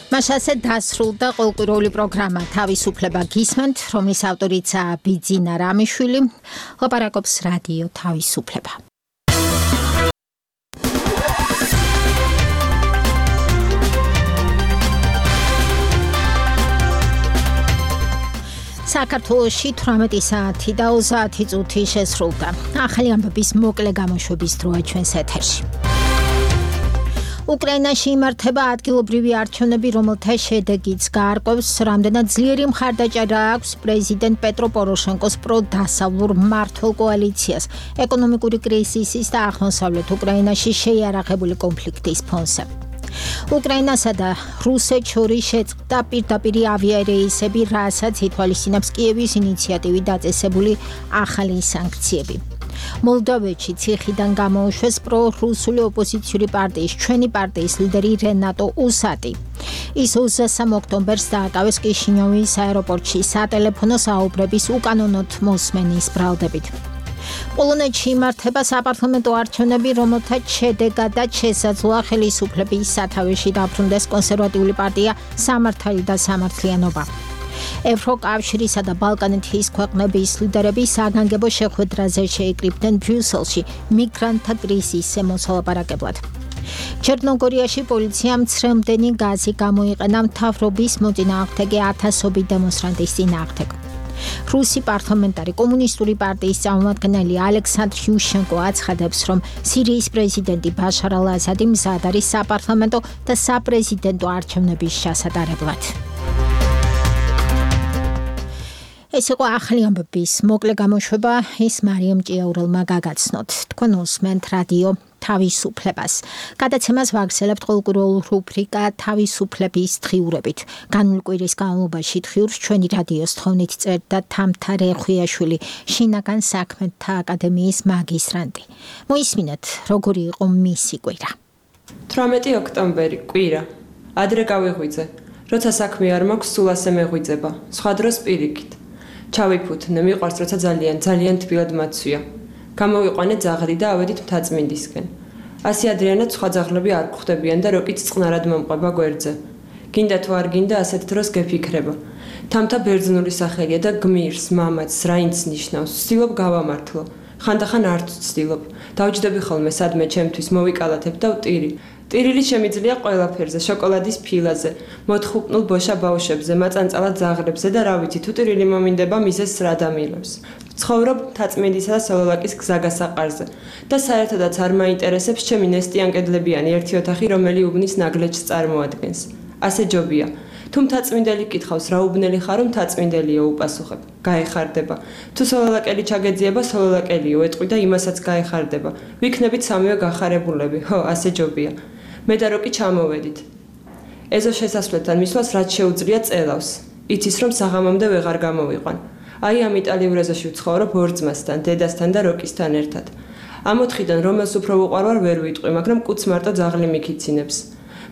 მასაზე დასრულდა ყოველკვირეული პროგრამა თავისუფლება გისმენთ, რომლის ავტორიცაა ბიძინა რამიშვილი. ლაპარაკობს რადიო თავისუფლება. საქართველოში თვრამეტი საათი და ოცდაათი წუთი შესრულდა. ახალი ამბების მოკლე გამოშვების დროა ჩვენს ეთერში. უკრაინაში იმართება ადგილობრივი არჩევნები, რომელთა შედეგიც გაარკვევს, რამდენად ძლიერი მხარდაჭერა აქვს პრეზიდენტ პეტრო პოროშენკოს პროდასავლურ მმართველ კოალიციას ეკონომიკური კრიზისის და აღმოსავლეთ უკრაინაში შეიარაღებული კონფლიქტის ფონზე. უკრაინასა და რუსეთს შორის შეწყდა პირდაპირი ავიარეისები, რასაც ითვალისწინებს კიევის ინიციატივით დაწესებული ახალი სანქციები. მოლდოვეთში ციხიდან გამოუშვეს პრო-რუსული ოპოზიციური პარტიის ჩვენი პარტიის ლიდერი რენატო უსატი. ის ოცდასამ ოქტომბერს დააკავეს კიშინიოვის აეროპორტში სატელეფონო საუბრების უკანონოდ მოსმენის ბრალდებით. პოლონეთში იმართება საპარლამენტო არჩევნები, რომელთა შედეგადაც შესაძლოა ხელისუფლების სათავეში დაბრუნდეს კონსერვატიული პარტია სამართალი და სამართლიანობა. ევროკავშირისა და ბალკანეთის ქვეყნების ლიდერები საგანგებო შეხვედრაზე შეიკრიბნენ ბრიუსელში მიგრანტთა კრიზისზე მოსალაპარაკებლად. ჩერნოგორიაში პოლიციამ ცრემლდენი გაზი გამოიყენა მთავრობის მოწინააღმდეგე ათასობით დემონსტრანტის წინააღმდეგ. რუსი პარლამენტარი კომუნისტური პარტიის წარმომადგენელი ალექსანდრ იუშენკო აცხადებს, რომ სირიის პრეზიდენტი ბაშარ ალ-ასადი მზად არის საპარლამენტო და საპრეზიდენტო არჩევნების ჩასატარებლად. ეს იყო ახალი ამბების მოკლე გამოშვება, ის მარიამ ჭიაურელმა გაგაცნოთ. თქვენ უსმენთ რადიო თავისუფლებას. გადაცემას ვაგრძელებთ ყოველკვირეულ რუბრიკა თავისუფლების დღიურებით. განვლილი კვირის განმავლობაში დღიურს ჩვენი რადიოს თხოვნით წერდა თამთა რეხვიაშვილი, შინაგან საქმეთა აკადემიის მაგისტრანტი. მოისმინეთ, როგორი იყო მისი კვირა. თვრამეტი ოქტომბერი, კვირა. ადრე გავიღვიძე. როცა საქმე არ მაქვს, სულ ასე მეღვიძება. სხვა დროს პირიქით. ჩავიფუთნე, მიყვარს, როცა ძალიან, ძალიან თბილად მაცვია. გამოვიყვანე ძაღლი და ავედით მთაწმინდისკენ. ასე ადრიანად სხვა ძაღლები არ გვხვდებიან და როკიც წყნარად მომყვება გვერდზე. გინდა თუ არ გინდა, ასეთ დროს გეფიქრება. თამთა ბერძნული სახელია და გმირს, მამაც, რაინც ნიშნავს, ვცდილობ გავამართლო. ხანდახან არც ვცდილობ. დავჯდები ხოლმე სადმე ჩემთვის მოვიკალათებ და ვტირი. ტირილი შემიძლია ყველაფერზე, შოკოლადის ფილაზე, მოთხუპნულ ბოშა ბავშვებზე, მაწანწალად ძაღლებზე და რა ვიცი, თუ ტირილი მომინდება მიზეს რა დამილებს. ცხოვრობ მთაწმინდისა და სოლოლაკის გზაგასაყარზე და საერთოდაც არ მაინტერესებს ჩემი ნესტიანკედლებიანი ერთი ოთახი, რომელი უბნის ნაგლეჯს წარმოადგენს. ასე ჯობია. თუ მთაწმინდელი კითხავს, რა უბნელი ხარო, მთაწმინდელიო, უპასუხებ. გაეხარდება. თუ სოლოლაკელი ჩაგეძიება, სოლოლაკელიო, ეტყვი და იმასაც გაეხარდება. ვიქნებით სამივე გახარებულები. ხო, ასე ჯობია. მე და როკი ჩამოვედით. ეზო შესასვლელთან მისვლას რაც შეუძლია წელავს. იცის რომ საღამომდე ვეღარ გამოვიყვან. აი ამ იტალიურ ეზოში ვცხოვრობ ორ ძმასთან, დედასთან და როკისთან ერთად. ამ ოთხიდან რომელს უფრო უყვარვარ ვერ ვიტყვი, მაგრამ კუც მარტო ძაღლი მიქიცინებს.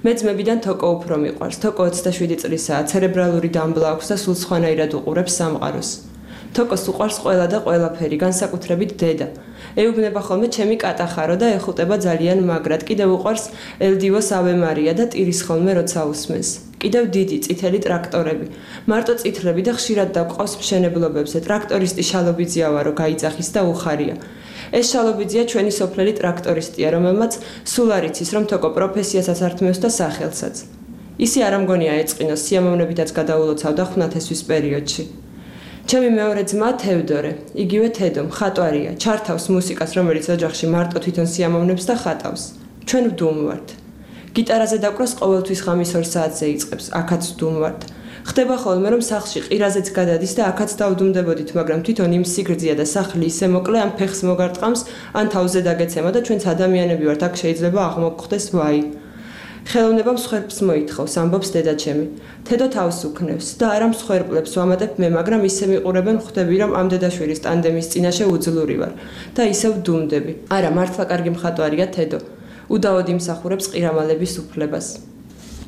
მე ძმებიდან თოკო უფრო მიყვარს. თოკო ოცდაშვიდი წლისაა, ცერებრალური დამბლა აქვს და სულ სხვანაირად უყურებს სამყაროს. თოკოს უყვარს ყველა და ყველაფერი, განსაკუთრებით დედა. ეუბნება ხოლმე ჩემი კატახარო და ეხუტება ძალიან მაგრად. კიდევ უყვარს ელდივოს ავე მარია და ტირის ხოლმე როცა უსმენს. კიდევ დიდი წითელი ტრაქტორები. მარტო წითლები და ხშირად დაგვყავს მშენებლობებზე. ტრაქტორისტი შალობიძია ვარო, გაიძახის და უხარია. ეს შალობიძია ჩვენი სოფლელი ტრაქტორისტია, რომელმაც სულ არ იცის, რომ თოკო პროფესიასაც ართმევს და სახელსაც. ისი არ ამგონია ეწყინოს, სიამოვნებითაც გადაულოცავდა ხვნათესვის პერიოდში. ჩემი მეორე ძმა თევდორე, იგივე თედო, მხატვარია, ჩართავს მუსიკას, რომელიც ოჯახში მარტო თვითონ სიამოვნებს და ხატავს. ჩვენ ვდუმვართ. გიტარაზე დაკვრას ყოველთვის ღამის ორ საათზე იწყებს, აქაც ვდუმვართ. ხდება ხოლმე, რომ სახლში ყირაზეც გადადის და აქაც დავდუმდებოდით, მაგრამ თვითონ იმ სიგრძეა და სახლი ისე მოკლე, ამ ფეხს მოგარტყამს, ან თავზე დაგეცემა და ჩვენც ადამიანები ვართ, აქ შეიძლება აღმოგხვდეს ვაი. ხელოვნება მსხვერპლს მოითხოვს, ამბობს დედაჩემი. თედო თავს უქნევს და არა მსხვერპლებს ვამატებ მე, მაგრამ ისე მიყურებენ, ხვდები, რომ ამ დედაშვილის ტანდემის წინაშე უძლური ვარ და ისევ ვდუმდები. არა, მართლა კარგი მხატვარია თედო. უდაოდ იმსახურებს ყირამალების უფლებას.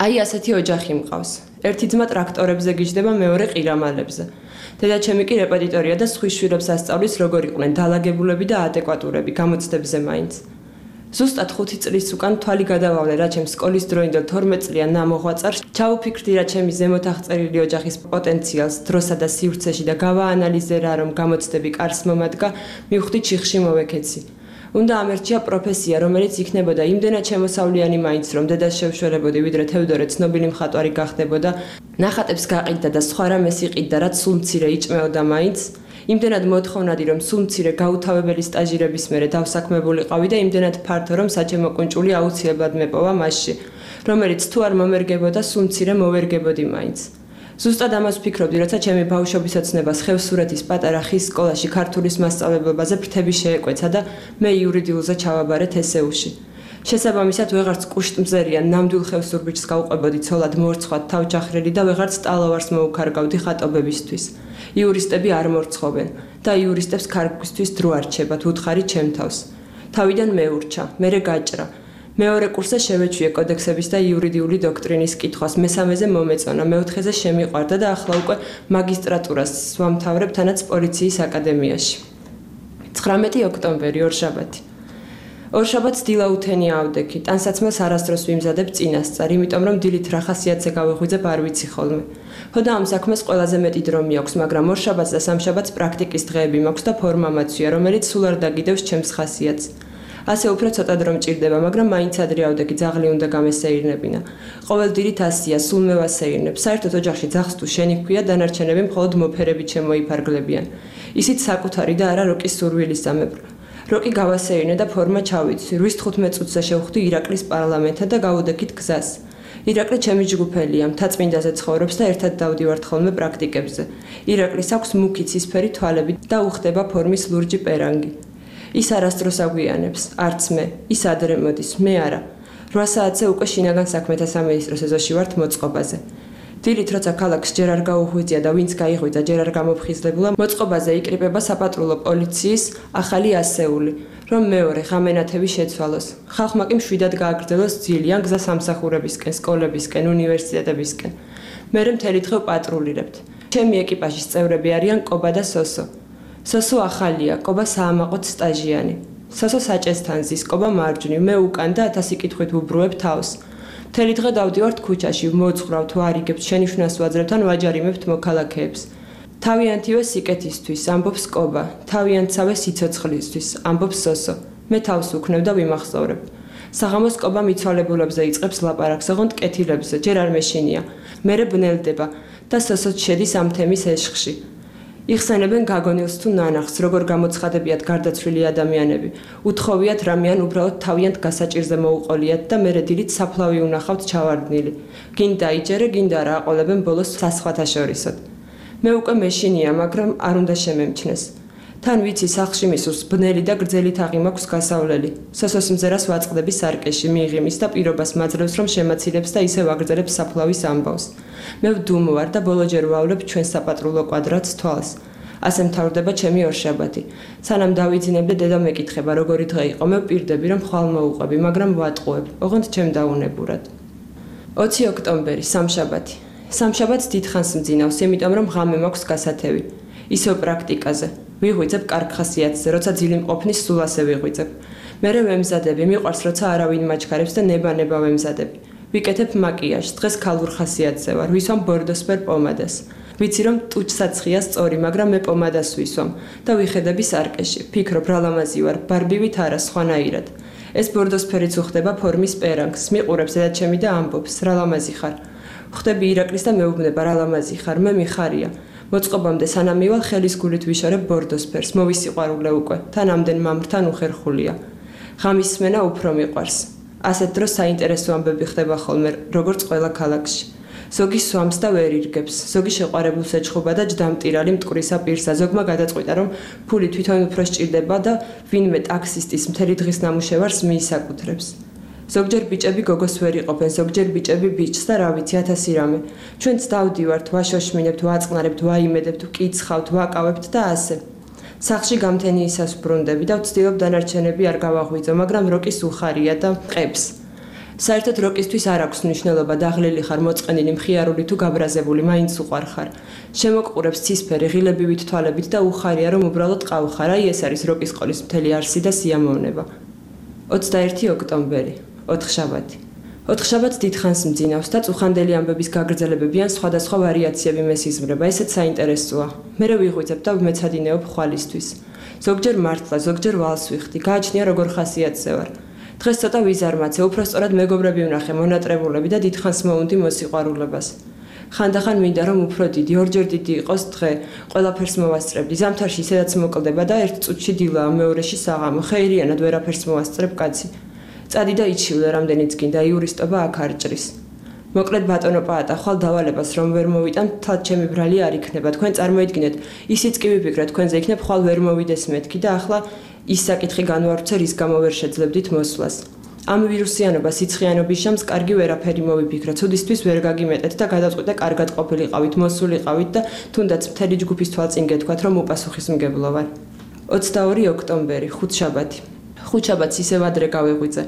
აი ასეთი ოჯახი მყავს. ერთი ძმა ტრაქტორებზე გიждდება, მეორე ყირამალებზე. დედაჩემი კი რეპეტიტორია და სხვის შვილებს ასწავლის, როგორ იყვნენ დაალაგებულები და ადეკვატურები, გამოცდებზე მაინც. ზუსტად ხუთი წლის უკან თვალი გადავავლე რა ჩემს სკოლის დროინდელ თორმეტ წლიან ნამოღვაწარს, ჩავუფიქრდი რა ჩემი ზემოთ აღწერილი ოჯახის პოტენციალს დროსა და სივრცეში და გავაანალიზე რა რომ გამოცდები კარს მომადგა, მივხვდი ჩიხში მოვეკეცი. უნდა ამერჩია პროფესია, რომელიც იქნებოდა იმდენად შემოსავლიანი მაინც, რომ დედას შევშველებოდი, ვიდრე თევდორე ცნობილი მხატვარი გახდებოდა, ნახატებს გაყიდდა და სხვა რამეს იყიდდა, რაც სულ მცირე იჭმეოდა მაინც. იმდენად მოთხოვნადი, რომ სულ მცირე გაუთავებელი სტაჟირების მერე დავსაქმებულიყავი და იმდენად ფართო, რომ საჩემო კუნჭული აუცილებლად მეპოვა მასში, რომელიც თუ არ მომერგებოდა, სულ მცირე მოვერგებოდი მაინც. ზუსტად ამას ვფიქრობდი, როცა ჩემი ბავშვობის ოცნებას ხევსურეთის პატარა ხის სკოლაში ქართულის მასწავლებლებაზე ფრთები შეეკვეცა და მე იურიდიულზე ჩავაბარეთ ესეუში. შესაბამისად, ვეღარც კუშტმზერიან ნამდვილ ხევსურბიჭს გავყვებოდი ცოლად მორცხვად თავჯახრელი და ვეღარც ტალავარს მოუქარგავდი ხატობებისთვის. იურისტები არ მორცხოვენ და იურისტებს ქარგვისთვის დრო არ რჩებათ, უთხარი ჩემ თავს. თავიდან მეურჩა, მერე გაჭრა. მეორე კურსზე შევეჩვიე კოდექსების და იურიდიული დოქტრინის კითხვას, მესამეზე მომეწონა, მეოთხეზე შემიყვარდა და ახლა უკვე მაგისტრატურას ვამთავრებ თანაც პოლიციის აკადემიაში. ცხრამეტი ოქტომბერი, ორშაბათი. ორშაბათს დილაუთენი ავდექი, ტანსაცმელს არასდროს ვიმზადებ წინასწარ, იმიტომ რომ დილით რა ხასიათზე გავიღვიძებ არ ვიცი ხოლმე. ხოდა ამ საქმეს ყველაზე მეტი დრო მიაქვს, მაგრამ ორშაბათს და სამშაბათს პრაქტიკის დღეები მაქვს და ფორმა მაცვია, რომელიც სულ არ დაგიდევს ჩემს ხასიათს. ასე უფრო ცოტა დრო მჭირდება, მაგრამ მაინც ადრე ავდექი, ძაღლი უნდა გამესეირნებინა. ყოველდღიურად ასია, სულ მე ვასეირნებ. საერთოდ ოჯახში ძაღლს თუ შენი ჰქვია, დანარჩენები მხოლოდ მოფერებით შემოიფარგლებიან. ისიც საკუთარი და არა როკის სურვილისამებრ. როკი გავასეირნე და ფორმა ჩავიცვი. რვის თხუთმეტ წუთზე შევხვდი ირაკლის პარლამენტად და გავუდექით გზას. ირაკლი ჩემი ჯგუფელია, მთაწმინდაზე ცხოვრობს და ერთად დავდივართ ხოლმე პრაქტიკებზე. ირაკლის აქვს მუქი ცისფერი თვალები და უხდება ფორმის ლურჯი პერანგი. ის არასდროს აგვიანებს, არც მე, ის ადრე მოდის, მე არა. რვა საათზე უკვე შინაგან საქმეთა სამინისტროს ეზოში ვართ მოწყობაზე. დილით როცა ქალაქს ჯერ არ გაუღვიძია და ვინც გაიღვიძა ჯერ არ გამოფხიზლებულა, მოწყობაზე იკრიბება საპატრულო პოლიციის ახალი ასეული, რომ მეორე ღამენათები შეცვალოს. ხალხმა კი მშვიდად გააგრძელოს ძილიან გზა სამსახურებისკენ, სკოლებისკენ, უნივერსიტეტებისკენ. მერე მთელი დღე პატრულირებთ. ჩემი ეკიპაჟის წევრები არიან კობა და სოსო. სოსო ახალია, კობა საამაყოდ სტაჟიანი. სოსო საჭესთან ზის, კობა მარჯვნივ, მე უკან და ათასი კითხვით ვუბრუებ თავს. მთელი დღე დავდივართ ქუჩაში, მოძღვრავთ, ვარიგებთ, შენიშვნას ვაძლევთ ან ვაჯარიმებთ მოქალაქეებს. თავიანთივე სიკეთისთვის, ამბობს კობა, თავიანთსავე სიცოცხლისთვის, ამბობს სოსო. მე თავს უქნევ და ვიმახსოვრებ. საღამოს კობა მიცვალებულებზე იწყებს ლაპარაკს, ოღონდ კეთილებზე, ჯერ არ მეშინია. მერე ბნელდება და სოსოც შედის ამ თემის ეშხში. იხსენებენ გაგონილს თუ ნანახს, როგორ გამოცხადებიათ გარდაცვლილი ადამიანები. უთხოვიათ რამიან უბრალოდ თავიანთ გასაჭირზე მოუყოლიათ და მერე დილით საფლავი უნახავთ ჩავარდნილი. გინდა იჯერე, გინდა რა აყოლებენ ბოლოს სასხვათა შორისოდ. მე უკვე მეშინია, მაგრამ არ უნდა შემემჩნეს. თან ვიცი სახლში მისურს ბნელი და გრძელი თაღი მაქვს გასავლელი. სოსოს მზერას ვაწყდები სარკეში, მიიღიმის და პირობას მაძლევს, რომ შემაცილებს და ისე ვაგრძელებს საფლავის ამბავს. მე ვდუმვარ და ბოლოჯერ ვავლებ ჩვენ საპატრულო კვადრატს თვალს. ასე მთავრდება ჩემი ორშაბათი. სანამ დავიძინებ და დედა მეკითხება, როგორი დღე იყო, მე ვპირდები, რომ ხვალ მოუყვები, მაგრამ ვატყუებ, ოღონდ ჩემ დაუნებურად. ოცი ოქტომბერი, სამშაბათი. სამშაბათს დიდხანს მძინავს, იმიტომ რომ ღამე მაქვს გასათევი. ისევ პრაქტიკაზე. ვიღვიძებ კარგ ხასიათზე, როცა ძილი მყოფნის სულ ასე ვიღვიძებ. მერე ვემზადები, მიყვარს როცა არავინ მაჩქარებს და ნება-ნება ვემზადები. ვიკეთებ მაკიაჟს, დღეს ქალურ ხასიათზე ვარ, ვისვამ ბორდოსფერ პომადას. ვიცი რომ ტუჩსაცხია სწორი, მაგრამ მე პომადას ვისვამ და ვიხედები სარკეში. ფიქრობ რა ლამაზი ვარ, ბარბივით არა, სხვანაირად. ეს ბორდოსფერიც უხდება ფორმის პერანგს, მიყურებს დედაჩემი და ამბობს, რა ლამაზი ხარ. ხვდები ირაკლის და მეუბნება, რა ლამაზი ხარ, მე მიხარია. მოწყობამდე სანამ მივალ ხელის გულით ვიშორებ ბორდოსფერს, მოვისიყვარულე უკვე, თან ამდენ მამრთან უხერხულია. ღამის სმენა უფრო მიყვარს. ასეთ დროს საინტერესო ამბები ხდება ხოლმე, როგორც ყველა ქალაქში. ზოგი სვამს და ვერ ირგებს, ზოგი შეყვარებულს ეჩხუბა და ჯდამტირალი მტკვრისა პირსა, ზოგმა გადაწყვიტა, რომ ფული თვითონ უფრო სჭირდება და ვინმე ტაქსისტის მთელი დღის ნამუშევარს მიისაკუთრებს. ზოგჯერ ბიჭები გოგოს ვერ იყოფენ, ზოგჯერ ბიჭები ბიჭს და რა ვიცი ათასი რამე. ჩვენც დავდივართ, ვაშოშმინებთ, ვაწყნარებთ, ვაიმედებთ, ვკიცხავთ, ვაკავებთ და ასე. სახლში გამთენიისას ვბრუნდები და ვცდილობ დანარჩენები არ გავაღვიძო, მაგრამ როკის უხარია და ყებს. საერთოდ როკისთვის არ აქვს მნიშვნელობა, დაღლილი ხარ, მოწყენილი, მხიარული თუ გაბრაზებული, მაინც უყვარ ხარ. შემოგყურებს ცისფერი, ღილებივით თვალებით და უხარია, რომ უბრალოდ ყავხარ. აი ეს არის როკის ყოლის მთელი არსი და სიამოვნება. ოცდაერთი ოქტომბერი, ოთხშაბათი. ოთხშაბათს დიდხანს მძინავს და წუხანდელი ამბების გაგრძელებები ან სხვადასხვა ვარიაციები მესიზმრება, ესეც საინტერესოა. მერე ვიღვიძებ და ვმეცადინეობ ხვალისთვის. ზოგჯერ მართლა, ზოგჯერ ვალს ვიხდი, გააჩნია როგორ ხასიათზე ვარ. დღეს ცოტა ვიზარმაცე, უფრო სწორად მეგობრები ვნახე, მონატრებულები და დიდხანს მოუნდი მოსიყვარულებას. ხანდახან მინდა რომ უფრო დიდი, ორჯერ დიდი იყოს დღე, ყველაფერს მოვასწრებდი. ზამთარში ისედაც მოკლდება და ერთ წუთში დილაა, მეორეში საღამო. ხეირიანად ვერაფერს მოვასწრებ კაცი. წადი და იჩივლე, რამდენიც გინდა, იურისტობა აქ არ ჭრის. მოკლედ ბატონო პაატა, ხვალ დავალებას რომ ვერ მოვიტან, თად ჩემი ბრალი არ იქნება. თქვენ წარმოიდგინეთ, ისიც კი ვიფიქრეთ, თქვენზე იქნებ ხვალ ვერ მოვიდეს მეთქი და ახლა ის საკითხი განვარჩე, რის გამო ვერ შეძლებდით მოსვლას. ამ ვირუსიანობა სიცხიანობის შამს კარგი ვერაფერი მოვიფიქრე. ცუდისთვის ვერ გაგიმეტეთ და გადაწყვიტე კარგად ყოფილიყავით, მოსულიყავით და თუნდაც მთელი ჯგუფის თვალწინ გეთქვათ, რომ უპასუხისმგებლო ვარ. ოცდაორი ოქტომბერი, ხუთშაბათი. ხუთშაბათს ისევ ადრე გავიღვიძე.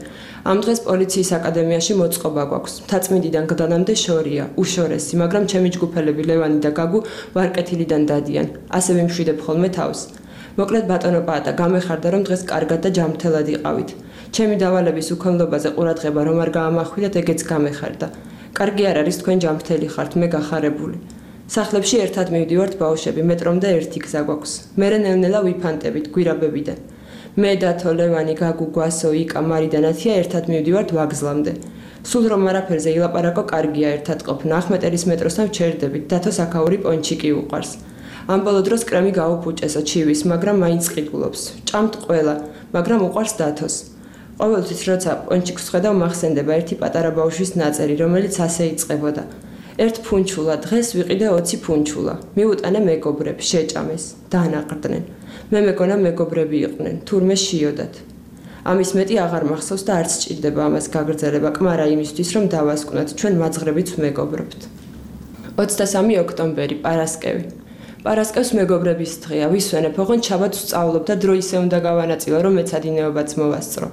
ამ დღეს პოლიციის აკადემიაში მოწყობა გვაქვს. მთაწმინდიდან გდანამდე შორია, უშორესი, მაგრამ ჩემი ჯგუფელები ლევანი და გაგუ ვარკეთილიდან დადიან. ასე ვიმშვიდებ ხოლმე თავს. მოკლედ ბატონო პაატა, გამეხარდა რომ დღეს კარგად და ჯანმრთელად იყავით. ჩემი დავალების უქონლობაზე ყურადღება რომ არ გაამახვილეთ, ეგეც გამეხარდა. კარგი არ არის თქვენ ჯანმრთელი ხართ, მე გახარებული. სახლებში ერთად მივდივართ ბავშვები, მეტრომდე ერთი გზა გვაქვს. მერე ნელ-ნელა ვიფანტებით, გვირაბებიდან. მე დათო, ლევანი, გაგუ, გვასო, იკა, მარი და ნათია ერთად მივდივართ ვაგზლამდე. სულ რომ არაფერზე ილაპარაკო, კარგია ერთად ყოფნა. ახმეტელის მეტროსთან ვჩერდებით, დათოს აქაური პონჩიკი უყვარს. ამ ბოლო დროს კრემი გაუფუჭესო ჩივის, მაგრამ მაინც ყიდულობს. ჭამთ ყველა, მაგრამ უყვარს დათოს. ყოველთვის როცა პონჩიკს ხედავ, მახსენდება ერთი პატარა ბავშვის ნაწერი, რომელიც ასე იწყებოდა. ერთ ფუნჩულა, დღეს ვიყიდე ოცი ფუნჩულა. მიუტანე მეგობრებს, შეჭამეს, დაანაყრდნენ. მე მეგონა მეგობრები იყვნენ, თურმე შიოდათ. ამის მეტი აღარ მახსოვს და არც სჭირდება ამას გაგრძელება, კმარა იმისთვის, რომ დავასკვნათ, ჩვენ მაძღრებით ვმეგობრობთ. ოცდასამი ოქტომბერი, პარასკევი. პარასკევს მეგობრების დღეა, ვისვენებ, ოღონდ შაბათს ვსწავლობ და დრო ისე უნდა გავანაწილო, რომ მეცადინეობაც მოვასწრო.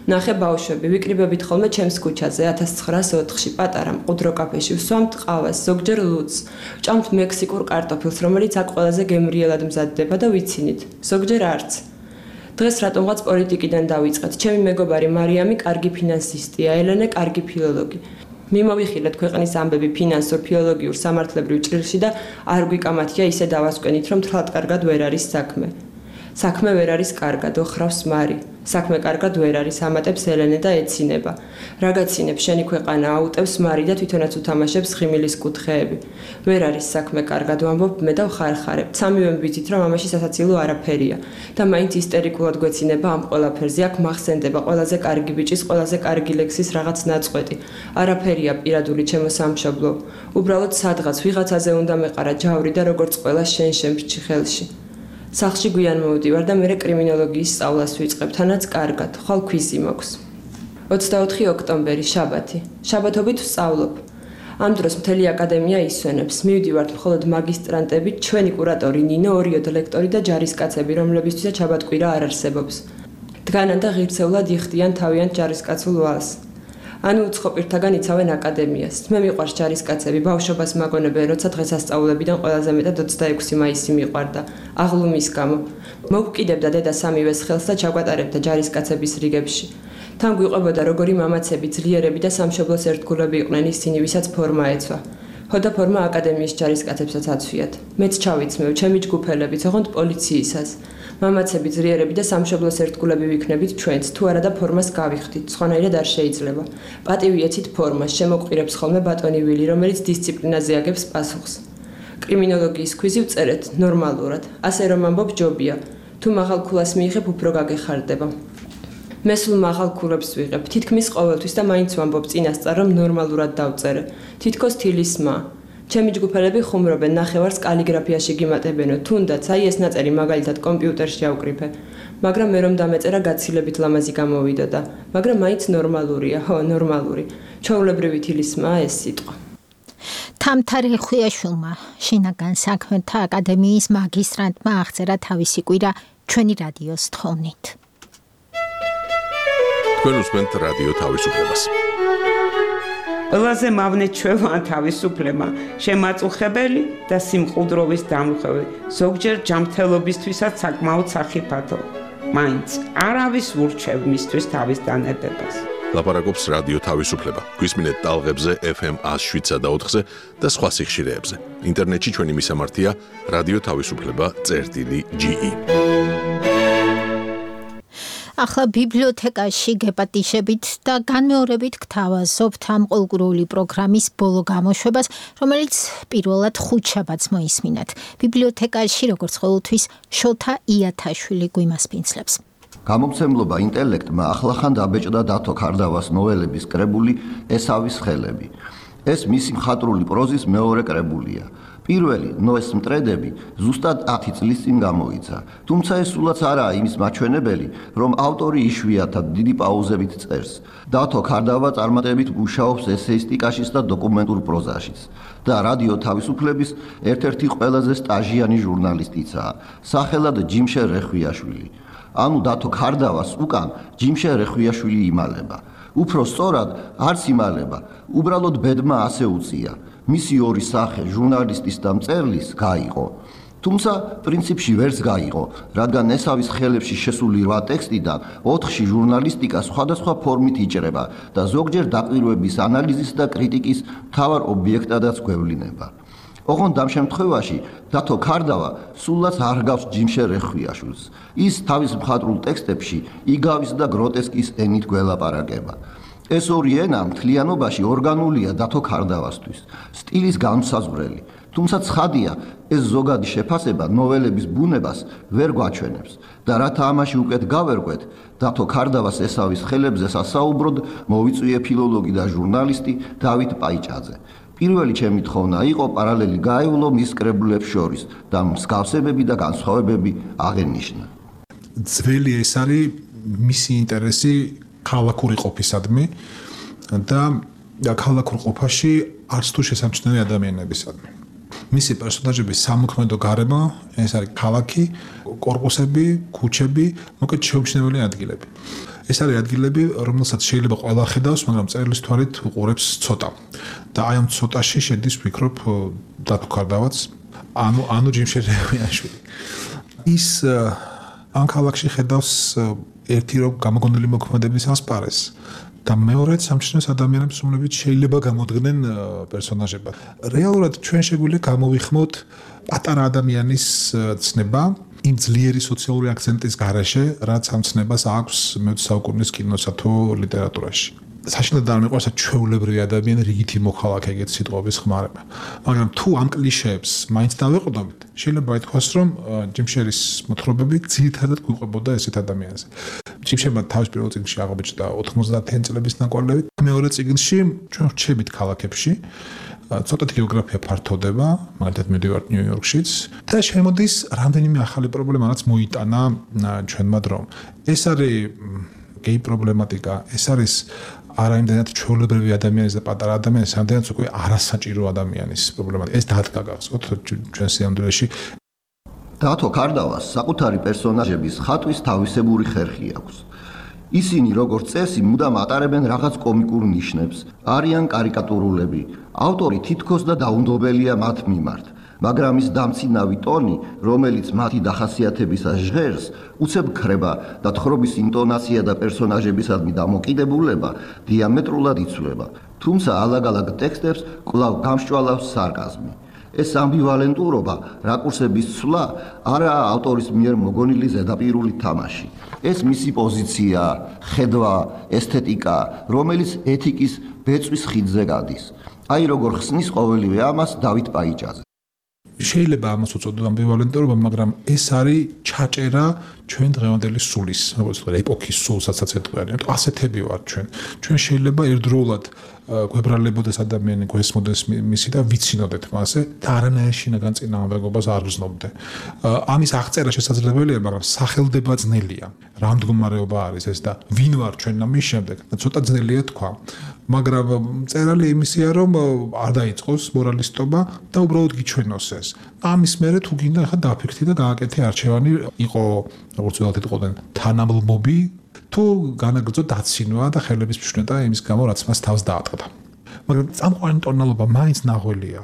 ნახე ბავშვები, ვიკრიბებით ხოლმე ჩემს ქუჩაზე ათას ცხრაასი ოთხში, პატარა მყუდრო კაფეში, ვსვამთ ყავას, ზოგჯერ ლუდს, ვჭამთ მექსიკურ კარტოფილს, რომელიც აქ ყველაზე გემრიელად მზადდება და ვიცინით, ზოგჯერ არც. დღეს რატომღაც პოლიტიკიდან დავიწყეთ. ჩემი მეგობარი მარიამი კარგი ფინანსისტია, ელენე კარგი ფილოლოგი. მიმოვიხილეთ ქვეყნის ამბები ფინანსურ, ფილოლოგიურ, სამართლებრივ ჭრილში და არ გვიკამათია ისე დავასკვენით, რომ თლად კარგად ვერ არის საქმე. საქმე ვერ არის კარგად, ოხრავს მარი. საქმე კარგად ვერ არის, ამატებს ელენე და ეცინება. რაგაცინებ შენი ქვეყანა აუტევს მარი და თვითონაც უთამაშებს ხიმილის კუთხეები. ვერ არის საქმე კარგად, ვამბობ მე და ვხარხარებ. სამივე ვიცით, რომ ამაში სასაცილო არაფერია და მაინც ისტერიკულად გვეცინება ამ ყველაფერზე. აქ მახსენდება ყველაზე კარგი ბიჭის, ყველაზე კარგი ლექსის რაღაც ნაწყვეტი. არაფერია პირადული ჩემო სამშობლო. უბრალოდ სადღაც ვიღაცაზე უნდა მეყარა ჯავრი და როგორც ყველა შენ შემრჩი ხელში. სახლში გვიან მოვდივარ და მერე კრიმინოლოგიის სწავლას ვიწყებ, თანაც კარგად, ხვალ ქვიზი მაქვს. ოცდაოთხი ოქტომბერი, შაბათი. შაბათობით ვსწავლობ. ამ დროს მთელი აკადემია ისვენებს. მივდივართ მხოლოდ მაგისტრანტები, ჩვენი კურატორი ნინო, ორიოდ ლექტორი და ჯარისკაცები, რომლებისთვისაც შაბათკვირა არ არსებობს. დგანან და ღირსეულად იხდიან თავიანთ ჯარისკაცულ ვალს. ანუ უცხოპირთაგან იცავენ აკადემიას. მე მიყვარს ჯარისკაცები, ბავშვობას მაგონებენ, როცა დღესასწაულებიდან ყველაზე მეტად ოცდაექვსი მაისი მიყვარდა, აღლუმის გამო. მოვკიდებდა დედა სამივეს ხელს და ჩაგვატარებდა ჯარისკაცების რიგებში. თან გვიყვებოდა როგორი მამაცები, ძლიერები და სამშობლოს ერთგულები იყვნენ ისინი, ვისაც ფორმა ეცვა. ხოდა ფორმა აკადემიის ჯარისკაცებსაც აცვიათ. მეც ჩავიცმევ, ჩემი ჯგუფელებიც, ოღონდ პოლიციისას. მამაცები, ძლიერები და სამშობლოს ერთგულები ვიქნებით ჩვენც, თუ არა და ფორმას გავიხდით, სხვანაირად არ შეიძლება. პატივი ეცით ფორმას, შემოგვყირებს ხოლმე ბატონი ვილი, რომელიც დისციპლინაზე აგებს პასუხს. კრიმინოლოგიის ქვიზი ვწერეთ ნორმალურად, ასე რომ ამბობ ჯობია, თუ მაღალ ქულას მიიღებ, უფრო გაგეხარდება. მე სულ მაღალ ქულებს ვიღებ, თითქმის ყოველთვის და მაინც ვამბობ წინასწარ, რომ ნორმალურად დავწერე. თითქოს თილისმა. ჩემი ჯგუფელები ხუმრობენ, ნახევარს კალიგრაფიაში გიმატებენო, თუნდაც აი ეს ნაწერი მაგალითად კომპიუტერში ავკრიფე. მაგრამ მე რომ დამეწერა გაცილებით ლამაზი გამოვიდოდა, მაგრამ მაინც ნორმალურია, ხო, ნორმალური. ჩვეულებრივი თილისმაა ეს სიტყვა. თამთარ ხვიაშვილმა, შინაგან საქმეთა აკადემიის მაგისტრანტმა აღწერა თავისი კვირა ჩვენი რადიოს თხოვნით. თქვენ უსმენთ რადიო თავისუფლებას. ყველაზე მავნე ჩვევა თავისუფლება, შემაწუხებელი და სიმყუდროვის დამხევი, ზოგჯერ ჯანმრთელობისთვისაც საკმაოდ სახიფათო. მაინც არავის ურჩევ მისთვის თავის დანებებას. ლაპარაკობს რადიო თავისუფლება. გვისმინეთ ტალღებზე ეფ ემ ათს შვიდსა და ოთხზე და სხვა სიხშირეებზე. ინტერნეტში ჩვენი მისამართია რადიო თავისუფლება წერტილი ჯი ი. ახლა ბიბლიოთეკაში გეპატიშებით და განმეორებით გთავაზობთ ამ ყოლგურული პროგრამის ბოლო გამოშვებას, რომელიც პირველად ხუთშაბათს მოისმინათ. ბიბლიოთეკაში როგორც ყოველთვის შოთა იათაშვილი გვიმასპინძლებს. გამომცემლობა ინტელექტმა ახლახან დაბეჭდა დათო ქარდავას ნოველების კრებული ესავის ხელები. ეს მისი მხატვრული პროზის მეორე კრებულია. პირველი ნოეს მტრედები ზუსტად ათი წლის წინ გამოიცა, თუმცა ეს სულაც არაა იმის მაჩვენებელი, რომ ავტორი იშვიათად დიდი პაუზებით წერს. დათო ქარდავა წარმატებით მუშაობს ესეისტიკაშიც და დოკუმენტურ პროზაშიც და რადიო თავისუფლების ერთ-ერთი ყველაზე სტაჟიანი ჟურნალისტიცაა, სახელად ჯიმშე რეხვიაშვილი. ანუ დათო ქარდავას უკან ჯიმშე რეხვიაშვილი იმალება. უფრო სწორად არც იმალება, უბრალოდ ბედმა ასე უწია. მისი ორი სახე, ჟურნალისტის და მწერლის, გაიყო. თუმცა პრინციპში ვერც გაიყო, რადგან ესავის ხელებში შესული რვა ტექსტიდან ოთხში ჟურნალისტიკა სხვადასხვა ფორმით იჭრება და ზოგჯერ დაკვირვების ანალიზის და კრიტიკის მთავარ ობიექტადაც გვევლინება. ოღონდ ამ შემთხვევაში დათო ქარდავა სულაც არ გავს ჯიმშე რეხვიაშვილს. ის თავის მხატვრულ ტექსტებში იგავის და გროტესკის ენით გველაპარაკება. ეს ორი ენა მთლიანობაში ორგანულია დათო ქარდავასთვის, სტილის განმსაზღვრელი, თუმცა ცხადია, ეს ზოგადი შეფასება ნოველების ბუნებას ვერ გვაჩვენებს და რათა ამაში უკეთ გავერკვეთ, დათო ქარდავას ესავის ხელებზე სასაუბროდ მოვიწვიე ფილოლოგი და ჟურნალისტი დავით პაიჭაძე. პირველი ჩემი თხოვნა იყო პარალელი გაევლო მის კრებულებს შორის და მსგავსებები და განსხვავებები აღენიშნა. ძველი ეს არის მისი ინტერესი ქალაქური ყოფისადმი და ქალაქურ ყოფაში არც თუ შესამჩნევი ადამიანებისადმი. მისი პერსონაჟების სამოქმედო გარემო ეს არის ქალაქი, კორპუსები, ქუჩები, მოკლედ შეუმჩნეველი ადგილები. ეს არის ადგილები, რომელსაც შეიძლება ყველა ხედავს, მაგრამ წერილის თვალით უყურებს ცოტა. და აი ამ ცოტაში შედის, ვფიქრობ, დათო ქარდავაც, ანუ ანუ ჯიმშე რეხვიაშვილი. ის ამ ქალაქში ხედავს ერთი რომ გამოგონილი მოქმედების ასპარეს და მეორედ სამჩნევს ადამიანებს, რომლებიც შეიძლება გამოდგნენ პერსონაჟებად. რეალურად ჩვენ შეგვიძლია გამოვიხმოთ პატარა ადამიანის ცნება იმ ძლიერი სოციალური აქცენტის გარეშე, რაც ამ ცნებას აქვს მეოცე საუკუნის კინოსა თუ ლიტერატურაში. საშინელად არ მიყვარს ჩვეულებრივი ადამიანი რიგითი მოქალაქე ეგეთ სიტყვების ხმარება. მაგრამ თუ ამ კლიშეებს მაინც დავეყრდნობით, შეიძლება ითქვას, რომ ჯიმშერის მოთხრობები ძირითადად გვიყვებოდა ესეთ ადამიანზე. ჯიმშერმა თავის პირველ წიგნში აღბეჭდა ოთხმოცდაათი წლების ნაკვალევით, მეორე წიგნში ჩვენ ვრჩებით ქალაქებში, ცოტათი გეოგრაფია ფართოვდება, მაგალითად მივდივართ ნიუ-იორკშიც და შემოდის რამდენიმე ახალი პრობლემა, რაც მოიტანა ჩვენმა დრომ. ეს არის გეი პრობლემატიკა, ეს არის არა იმდენად ჩვეულებრივი ადამიანის და პატარა ადამიანის, რამდენად უკვე არასაჭირო ადამიანის პრობლემატიკა. ეს დადგა გახსოვთ ჩვენ სიამდვილეში. დათო ქარდავას საკუთარი პერსონაჟების ხატვის თავისებური ხერხი აქვს. ისინი როგორც წესი მუდამ ატარებენ რაღაც კომიკურ ნიშნებს, არიან კარიკატურულები. ავტორი თითქოს და დაუნდობელია მათ მიმართ, მაგრამ ის დამცინავი ტონი, რომელიც მათი დახასიათებისას ჟღერს, უცებ ქრება და თხრობის ინტონაცია და პერსონაჟებისადმი დამოკიდებულება დიამეტრულად იცვლება, თუმცა ალაგ-ალაგ ტექსტებს კვლავ გამსჭვალავს სარკაზმი. ეს ამბივალენტურობა, რაკურსების ცვლა არაა ავტორის მიერ მოგონილი ზედაპირული თამაში. ეს მისი პოზიცია, ხედვა, ესთეტიკა, რომელიც ეთიკის ბეწვის ხიდზე გადის. აი როგორ ხსნის ყოველივე ამას დავით პაიჭაძე. შეიძლება ამას უწოდოთ ამბივალენტურობა, მაგრამ ეს არის ჩაჭერა ჩვენ დღევანდელი სულის, როგორც ვთქვი, ეპოქის სულსაც ეთქვია. ასეთები ვართ ჩვენ. ჩვენ შეიძლება ერთდროულად გვებრალებოდეს ადამიანი, გვესმოდეს მისი და ვიცინოდეთ მასე და არანაირ შინაგან წინააღმდეგობას არ გრძნობდე. ამის აღწერა შესაძლებელია, მაგრამ სახელდება ძნელია. რა მდგომარეობა არის ეს და ვინ ვარ ჩვენ ამის შემდეგ? ცოტა ძნელია თქვა. მაგრამ წერალი იმისია, რომ არ დაიწყოს მორალისტობა და უბრალოდ გიჩვენოს ეს. ამის მერე თუ გინდა ხა დაფიქრდი და გააკეთე არჩევანი, იყო როგორც ვთქვათ, იყვნენ თანამლმობი თუ განაგრძო დაცინვა და ხელების მშვენება იმის გამო, რაც მას თავს დაატყდა. მაგრამ წამყვანი ტონალობა მაინც ნახველია.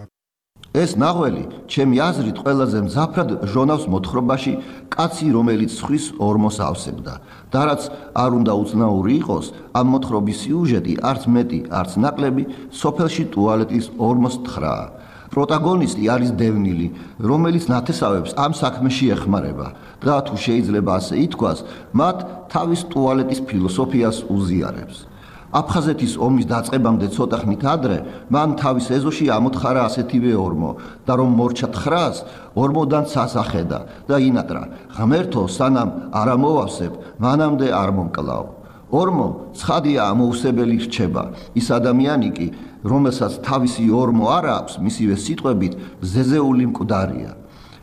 ეს ნაღველი, ჩემი აზრით, ყველაზე მზაფრად ჟონავს მოთხრობაში კაცი, რომელიც სხვის ორმოს ავსებდა. და რაც არ უნდა უცნაური იყოს, ამ მოთხრობის სიუჟეტი არც მეტი, არც ნაკლები, სოფელში ტუალეტის ორმოს თხრაა. პროტაგონისტი არის დევნილი, რომელიც ნათესავებს ამ საქმეში ეხმარება და თუ შეიძლება ასე ითქვას, მათ თავის ტუალეტის ფილოსოფიას უზიარებს. აფხაზეთის ომის დაწყებამდე ცოტა ხნით ადრე მან თავის ეზოში ამოთხარა ასეთივე ორმო და რომ მორჩა თხრას, ორმოდან სასახედა და ინატრა, ღმერთო სანამ არ ამოვავსებ, მანამდე არ მომკლავ. ორმო ცხადია ამოუსებელი რჩება, ის ადამიანი კი, რომელსაც თავისი ორმო არ აქვს, მისივე სიტყვებით ზეზეული მკვდარია.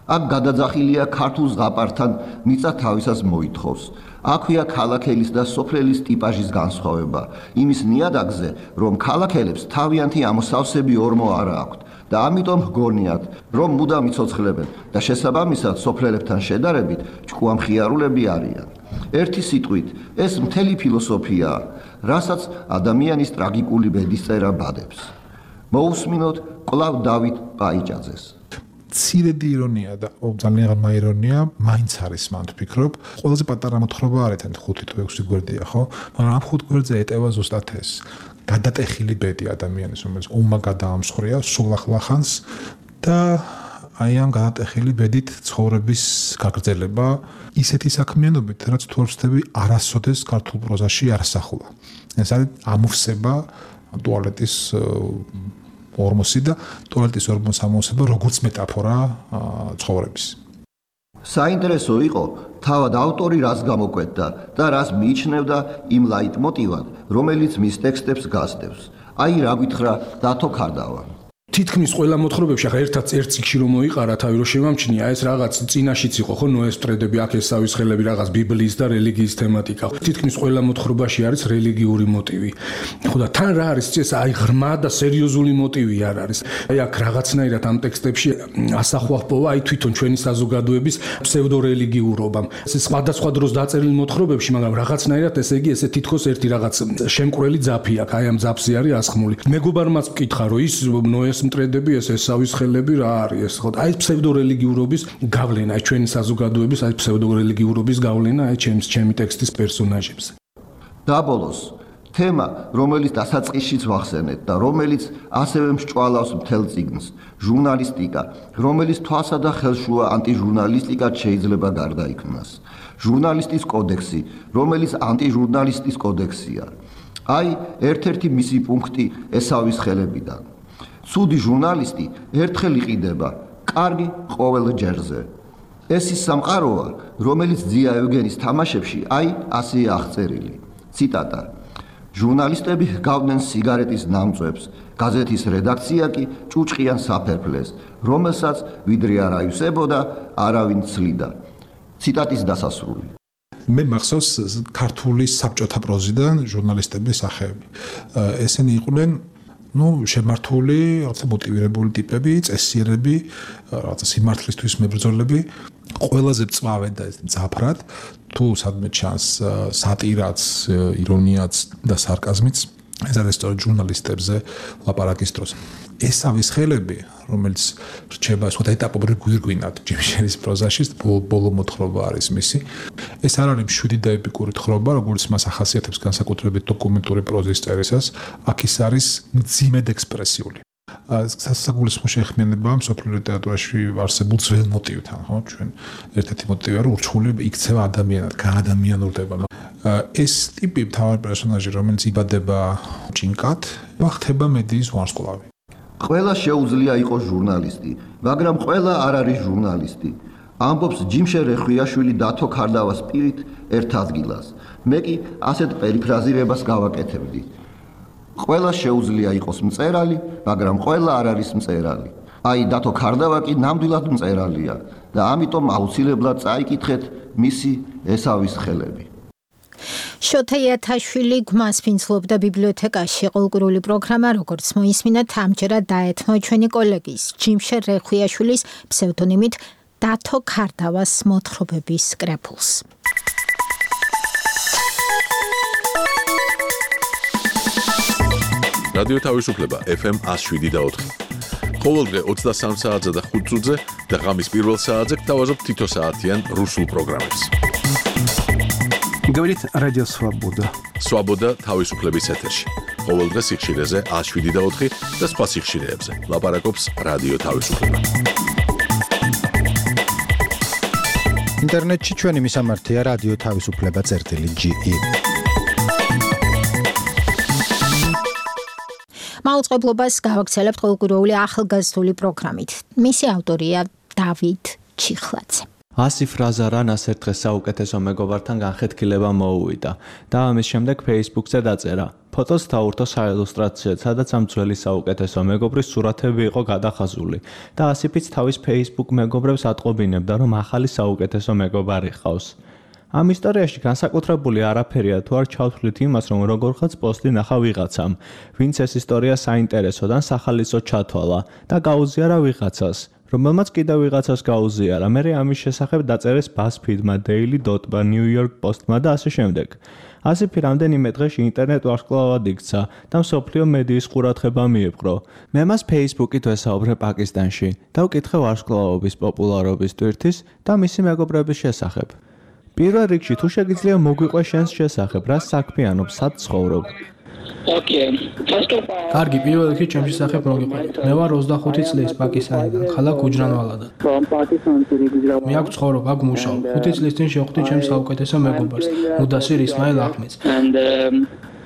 აქ გადაძახილია ქართულ ზღაპართან მიწა თავისას მოითხოვს. აქვეა ქალაქელის და სოფლელის ტიპაჟის განსხვავება, იმის ნიადაგზე, რომ ქალაქელებს თავიანთი ამოსავსები ორმო არ აქვთ და ამიტომ ჰგონიათ, რომ მუდამ იცოცხლებენ და შესაბამისად სოფლელებთან შედარებით ჭკუამხიარულები არიან. ერთი სიტყვით, ეს მთელი ფილოსოფიაა, რასაც ადამიანის ტრაგიკული ბედისწერა ბადებს. მოусმინოთ კვლავ დავით პაიჭაძეს. ცირედი ირონია და ძალიან მაირონია მაინც არის მან ვფიქრობ ყველაზე პატარა მოთხრობა არ ეთენ ხუთი თუ ექვსი გვერდია ხო მაგრამ ამ ხუთ გვერდზე ეტევა ზუსტად ეს გადატეხილი ბედი ადამიანის რომელიც ომმა გადაამსხვრია სულახლახანს და აი ამ გადატეხილი ბედით ცხოვრების გაგრძელება ისეთი საქმიანობით რაც თუ არ ვცდები არასოდეს ქართულ პროზაში არ ასახულა ეს არის ამოვსება ტუალეტის ორმოსი და ტუალეტის ორმოს ამოვსება როგორც მეტაფორა ცხოვრების. საინტერესო იყო თავად ავტორი რას გამოკვეთდა და რას მიიჩნევდა იმ ლაიტმოტივად, რომელიც მის ტექსტებს გასდევს. აი რა გითხრა დათო ქარდავა. თითქმის ყველა მოთხრობებში ახლა ერთად ერთ წიგში რომ მოიყარა თავი რომ შემამჩნია ეს რაღაც წინაშიც იყო ხო ნოეს მტრედები აქ ესავის ხელები რაღაც ბიბლიის და რელიგიის თემატიკა თითქმის ყველა მოთხრობაში არის რელიგიური მოტივი ხო და თან რა არის ეს აი ღრმა და სერიოზული მოტივი არ არის აი აქ რაღაცნაირად ამ ტექსტებში ასახვა ჰპოვა აი თვითონ ჩვენი საზოგადოების ფსევდორელიგიურობამ ეს სხვადასხვა დროს დაწერილი მოთხრობებში მაგრამ რაღაცნაირად ესე იგი ესე თითქოს ერთი რაღაც შემკვრელი ძაფი აქვს აი ამ ძაფზე არის ასხმული მეგობარმაც მკითხა რომ ის ნოეს მტრედები ეს ესავის ხელები რა არის ხო აი ფსევდორელიგიურობის გავლენა აი ჩვენი საზოგადოების აი ფსევდორელიგიურობის გავლენა აი ჩემს ჩემი ტექსტის პერსონაჟებზე დაბოლოს თემა რომელიც დასაწყისშიც ვახსენეთ და რომელიც ასევე მსჭვალავს მთელ წიგნს ჟურნალისტიკა რომელიც თვალსა და ხელშუა ანტიჟურნალისტიკად შეიძლება გარდაიქმნას ჟურნალისტის კოდექსი რომელიც ანტიჟურნალისტის კოდექსია აი ერთ-ერთი მისი პუნქტი ესავის ხელებიდან ცუდი ჟურნალისტი ერთხელ იყიდება, კარგი ყოველ ჯერზე. ეს ის სამყაროა, რომელიც ძია ევგენის თამაშებში აი ასეა აღწერილი. ციტატა. ჟურნალისტები ჰგავდნენ სიგარეტის ნამწვებს, გაზეთის რედაქცია კი ჭუჭყიან საფერფლეს, რომელსაც ვიდრე არ აივსებოდა, არავინ ცლიდა. ციტატის დასასრული. მე მახსოვს ქართული საბჭოთა პროზიდან ჟურნალისტების სახეები. ესენი იყვნენ ну შემართული რაღაცა მოტივირებული ტიპები, წესიერები, რაღაცა სიმართლისთვის მებრძოლები, ყველაზე წვავენ და ეს ძაფრად, თუ სადმე ჩანს სატირაც, ირონიაც და სარკაზმიც, ეს არის სწორედ ჟურნალისტებზე ლაპარაკის დროს. ესავის ხელები, რომელიც რჩება სხვა ეტაპობრივ გვირგვინად ჯიმშერის პროზაში, ბოლო მოთხრობა არის მისი. ეს არ არის მშვიდი და ეპიკური თხრობა, როგორც მას ახასიათებს განსაკუთრებით დოკუმენტური პროზის წერისას, აქ ის არის მძიმედ ექსპრესიული. სასაგულისხმო შეხმიანება მსოფლიო ლიტერატურაში არსებულ ძველ მოტივთან, ხო, ჩვენ ერთ-ერთი მოტივია, რომ ურჩხული იქცევა ადამიანად, გაადამიანურდება. ეს ტიპი მთავარი პერსონაჟი, რომელიც იბადება ჭინკად, ხდება მედიის ვარსკვლავი. ყველა შეუძლია იყოს ჟურნალისტი, მაგრამ ყველა არ არის ჟურნალისტი. ამბობს ჯიმშე რეხვიაშვილი დათო ქარდავას პირით ერთ ადგილას. მე კი ასეთ პერიფრაზირებას გავაკეთებდი. ყველა შეუძლია იყოს მწერალი, მაგრამ ყველა არ არის მწერალი. აი დათო ქარდავა კი ნამდვილად მწერალია და ამიტომ აუცილებლად წაიკითხეთ მისი ესავის ხელები. შოთა იათაშვილი გვამს ფინცლობდა ბიბლიოთეკაში ყოლკურული პროგრამა, როგორც მოისმინეთ, ამჯერად დაეთმო ჩვენი კოლეგის ჯიმშე რეხვიაშვილის ფსევდონიმით დათო ქარდავას მოთხრობების კრებულს. რადიო თავისუფლება ეფ ემ one oh seven და four. ყოველდღე ოცდასამ საათზე და ხუთ წუთზე და ღამის პირველ საათზე გთავაზობ თითო საათიან რუსულ პროგრამებს. Говорит Радио Свобода. Свобода თავისუფლების ეთერში. ყოველდღე სიხშირეზე one oh seven და four და სხვა სიხშირეებზე. ლაპარაკობს რადიო თავისუფლება. ინტერნეტში ჩვენი მისამართია რადიო თავისუფლება წერტილი ჯი ი. მაუწყებლობას გავაგრძელებთ ყოველკვირეული ახალგაზრდული პროგრამით. მისი ავტორია დავით ჩიხლაძე. ასი ფრაზა რანას ერთ დღეს საუკეთესო მეგობართან განხეთქილება მოუვიდა და ამის შემდეგ Facebook-ზე დაწერა. ფოტოს დაურთო საილუსტრაციოდ, სადაც ამ ძველი საუკეთესო მეგობრის სურათები იყო გადახაზული და ასიფიც თავის Facebook მეგობრებს ატყობინებდა, რომ ახალი საუკეთესო მეგობარი ყავს. ამ ისტორიაში განსაკუთრებული არაფერია თუ არ ჩავთვლით იმას, რომ როგორღაც პოსტი ნახა ვიღაცამ, ვინც ეს ისტორია საინტერესოდან სახალისო ჩათვალა და გაუზიარა ვიღაცას, რომელმაც კიდევ ვიღაცას გაუზიარა. მერე ამის შესახებ დაწერეს BuzzFeed-მა, Daily Dot-მა, New York Post-მა და ასე შემდეგ. ასიფი რამდენიმე დღეში ინტერნეტ ვარსკვლავად იქცა და მსოფლიო მედიის ყურადღება მიიპყრო. მე მას Facebook-ით ვესაუბრე პაკისტანში და ვკითხე ვარსკვლავობის პოპულარობის ტვირთის და მისი მეგობრების შესახებ. პირველ რიგში თუ შეგიძლია მოგვიყვე შენს შესახებ, რა საქმიანობ, სად ცხოვრობ? Okay. First of all, კარგი, პირველ რიგში ჩემს შესახებ მოგიყვე. მე ვარ ოცდახუთი წლის პაკისტანიდან, ქალაქ გუჯრანვალადან. from Pakistan to Gujarat. მე აქ ცხოვრობ, აქ მუშაობ. ხუთი წლის წინ შევხვდი ჩემს საუკეთესო მეგობარს, მუდასირ ისმაილ ახმედს. And um,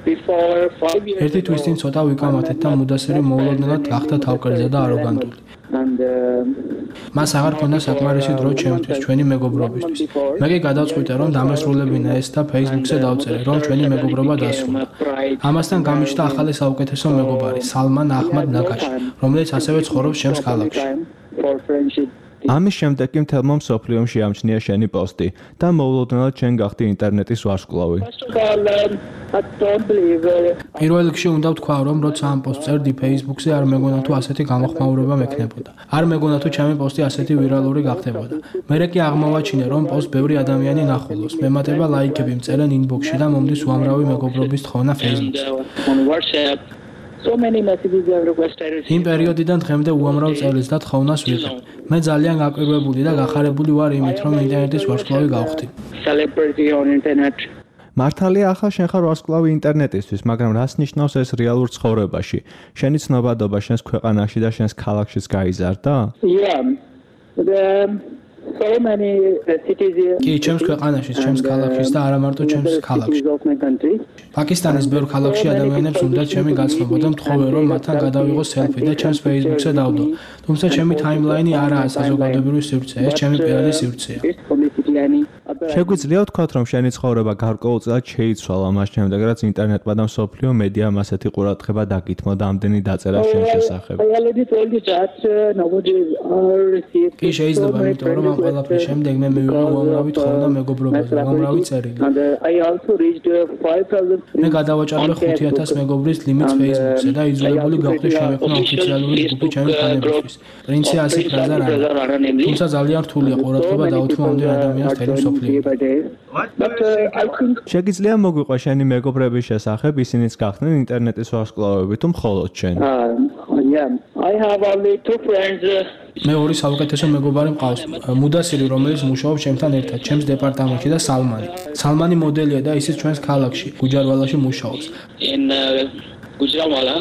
before five years ერთი თვის წინ ცოტა ვიკამათეთ და მუდასირი მოულოდნელად გახდა თავკერძა და აროგანტული. and uh, მას აღარ ქონდა საკმარისი დრო ჩემთვის, ჩვენი მეგობრობისთვის. მე კი გადავწყვიტე, რომ დამესრულებინა ეს და Facebook-ზე დავწერე, რომ ჩვენი მეგობრობა დასრულდა. ამასთან გამიჩნდა ახალი საუკეთესო მეგობარი, სალმან აჰმად ნაგაში, რომელიც ასევე ცხოვრობს ჩემს ქალაქში. for friendship. ამის შემდეგ კი მთელმა მსოფლიომ შეამჩნია შენი პოსტი და მოულოდნელად შენ გახდი ინტერნეტის ვარსკვლავი. First of all, um, I don't believe uh, პირველ რიგში უნდა ვთქვა, რომ როცა ამ პოსტს წერდი Facebook-ზე, არ მეგონა თუ ასეთი გამოხმაურება მექნებოდა. არ მეგონა თუ ჩემი პოსტი ასეთი ვირალური გახდებოდა. მერე კი აღმოვაჩინე, რომ პოსტს ბევრი ადამიანი ნახულობს, მემატება ლაიქები მწერენ inbox-ში და მომდის უამრავი მეგობრობის თხოვნა Facebook-ზე. on WhatsApp. So many messages I have requested. იმ პერიოდიდან დღემდე უამრავ წელს და თხოვნას ვიღებ. მე ძალიან გაკვირვებული და გახარებული ვარ იმით, რომ ინტერნეტის ვარსკვლავი გავხდი. Celebrity on internet. მართალია ახლა შენ ხარ ვარსკვლავი ინტერნეტისთვის, მაგრამ რას ნიშნავს ეს რეალურ ცხოვრებაში? შენი ცნობადობა შენს ქვეყანაში და შენს ქალაქშიც გაიზარდა? Yeah. The so many uh, cities here. კი, ჩემს ქვეყანაშიც, ჩემს ქალაქშიც და არა მარტო ჩემს ქალაქში. of my country. პაკისტანის ბევრ ქალაქში ადამიანებს უნდა ჩემი გაცნობა და მთხოვენ, რომ მათთან გადავიღო სელფი და ჩემს Facebook-ზე დავდო. თუმცა ჩემი ტაიმლაინი არაა საზოგადოებრივი სივრცე, ეს ჩემი პირადი სივრცეა. შეგვიძლია ვთქვათ, რომ შენი ცხოვრება გარკვეულწილად შეიცვალა მას შემდეგ, რაც ინტერნეტმა და მსოფლიო მედიამ ასეთი ყურადღება დაგითმო და ამდენი დაწერა შენ შესახებ. I already told you that uh, nowadays are received. კი, შეიძლება, იმიტომ რომ ამ ყველაფრის შემდეგ მე მივიღე უამრავი თხოვნა მეგობრობაზე, უამრავი წერილი. And uh, I also reached uh, five thousand. მე გადავაჭარბე ხუთი ათას მეგობრის ლიმიტს Facebook-ზე და იძულებული გავხდი შემექმნა ოფიციალური ჯგუფი ჩემი ფანებისთვის. პრინცი ასი ფრაზა რა. თუმცა ძალიან რთულია ყურადღება დაუთმო ამდენ ადამიანს თელი მსოფლიო. But uh, I think შეგიძლია მოგვიყვე შენი მეგობრების შესახებ, ისინიც გახდნენ ინტერნეტის ვარსკვლავები თუ მხოლოდ შენ? uh, yeah, I have only two friends. Uh, მე ორი საუკეთესო მეგობარი მყავს. მუდასირი, რომელიც მუშაობს ჩემთან ერთად, ჩემს დეპარტამენტში და სალმანი. სალმანი მოდელია და ისიც ჩვენს ქალაქში, გუჯარვალაში მუშაობს. in uh, Gujranwala.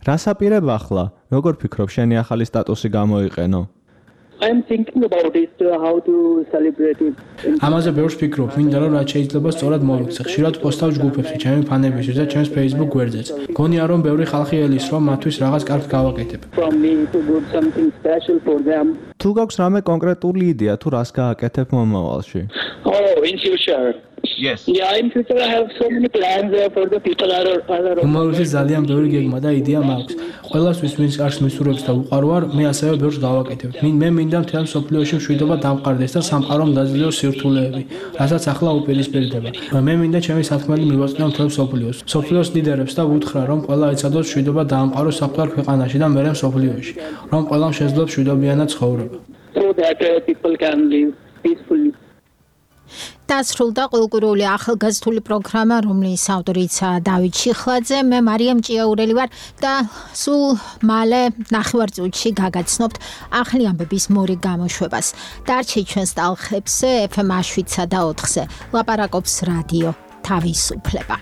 რას აპირებ ახლა? როგორ ფიქრობ შენი ახალი სტატუსი გამოიყენო? I am thinking about it, uh, how to celebrate it. ამაზე ბევრს ვფიქრობ, მინდა რომ რაც შეიძლება სწორად მოვიქცე. ხშირად პოსტავ ჯგუფებში, ჩემი ფანებისთვის და ჩემს Facebook გვერდზეც. გონია რომ ბევრი ხალხი ელის, რომ მათთვის რაღაც კარგს გავაკეთებ. From me to do something special for them. თუ გაქვს რამე კონკრეტული იდეა თუ რას გააკეთებ მომავალში? Oh, in future. Yes. Yeah, in future I have so many plans uh, for the people are are. მომავალში ძალიან ბევრი გეგმა და იდეა მაქვს. ყველასთვის ვინც კარგს მისურვებს და უყარო ვარ, მე ასევე ბევრს გავაკეთებ. მე მინდა მთელ მსოფლიოში მშვიდობა დამყარდეს და სამყარომ დაძლიოს სირთულეები, რასაც ახლა უპირისპირდება. მე მინდა ჩემი სათქმელი მივაწნო მთელ მსოფლიოს. მსოფლიოს ლიდერებს და ვუთხრა, რომ ყველა ეცადოს მშვიდობა დაამყაროს საფრთხე ქვეყანაში და მერე მსოფლიოში, რომ ყველამ შეძლოს მშვიდობიანად ცხოვრება. So that uh, people can live peacefully. დასრულდა ყოველკვირეული ახალგაზრდული პროგრამა, რომლის ავტორიცაა დავით ჩიხლაძე, მე მარიამ ჭიაურელი ვარ და სულ მალე ნახევარწუთში გაგაცნობთ ახალი ამბების მორიგ გამოშვებას. დარჩით ჩვენს ტალღებზე ეფ ემ შვიდსა და ოთხზე. ლაპარაკობს რადიო თავისუფლება.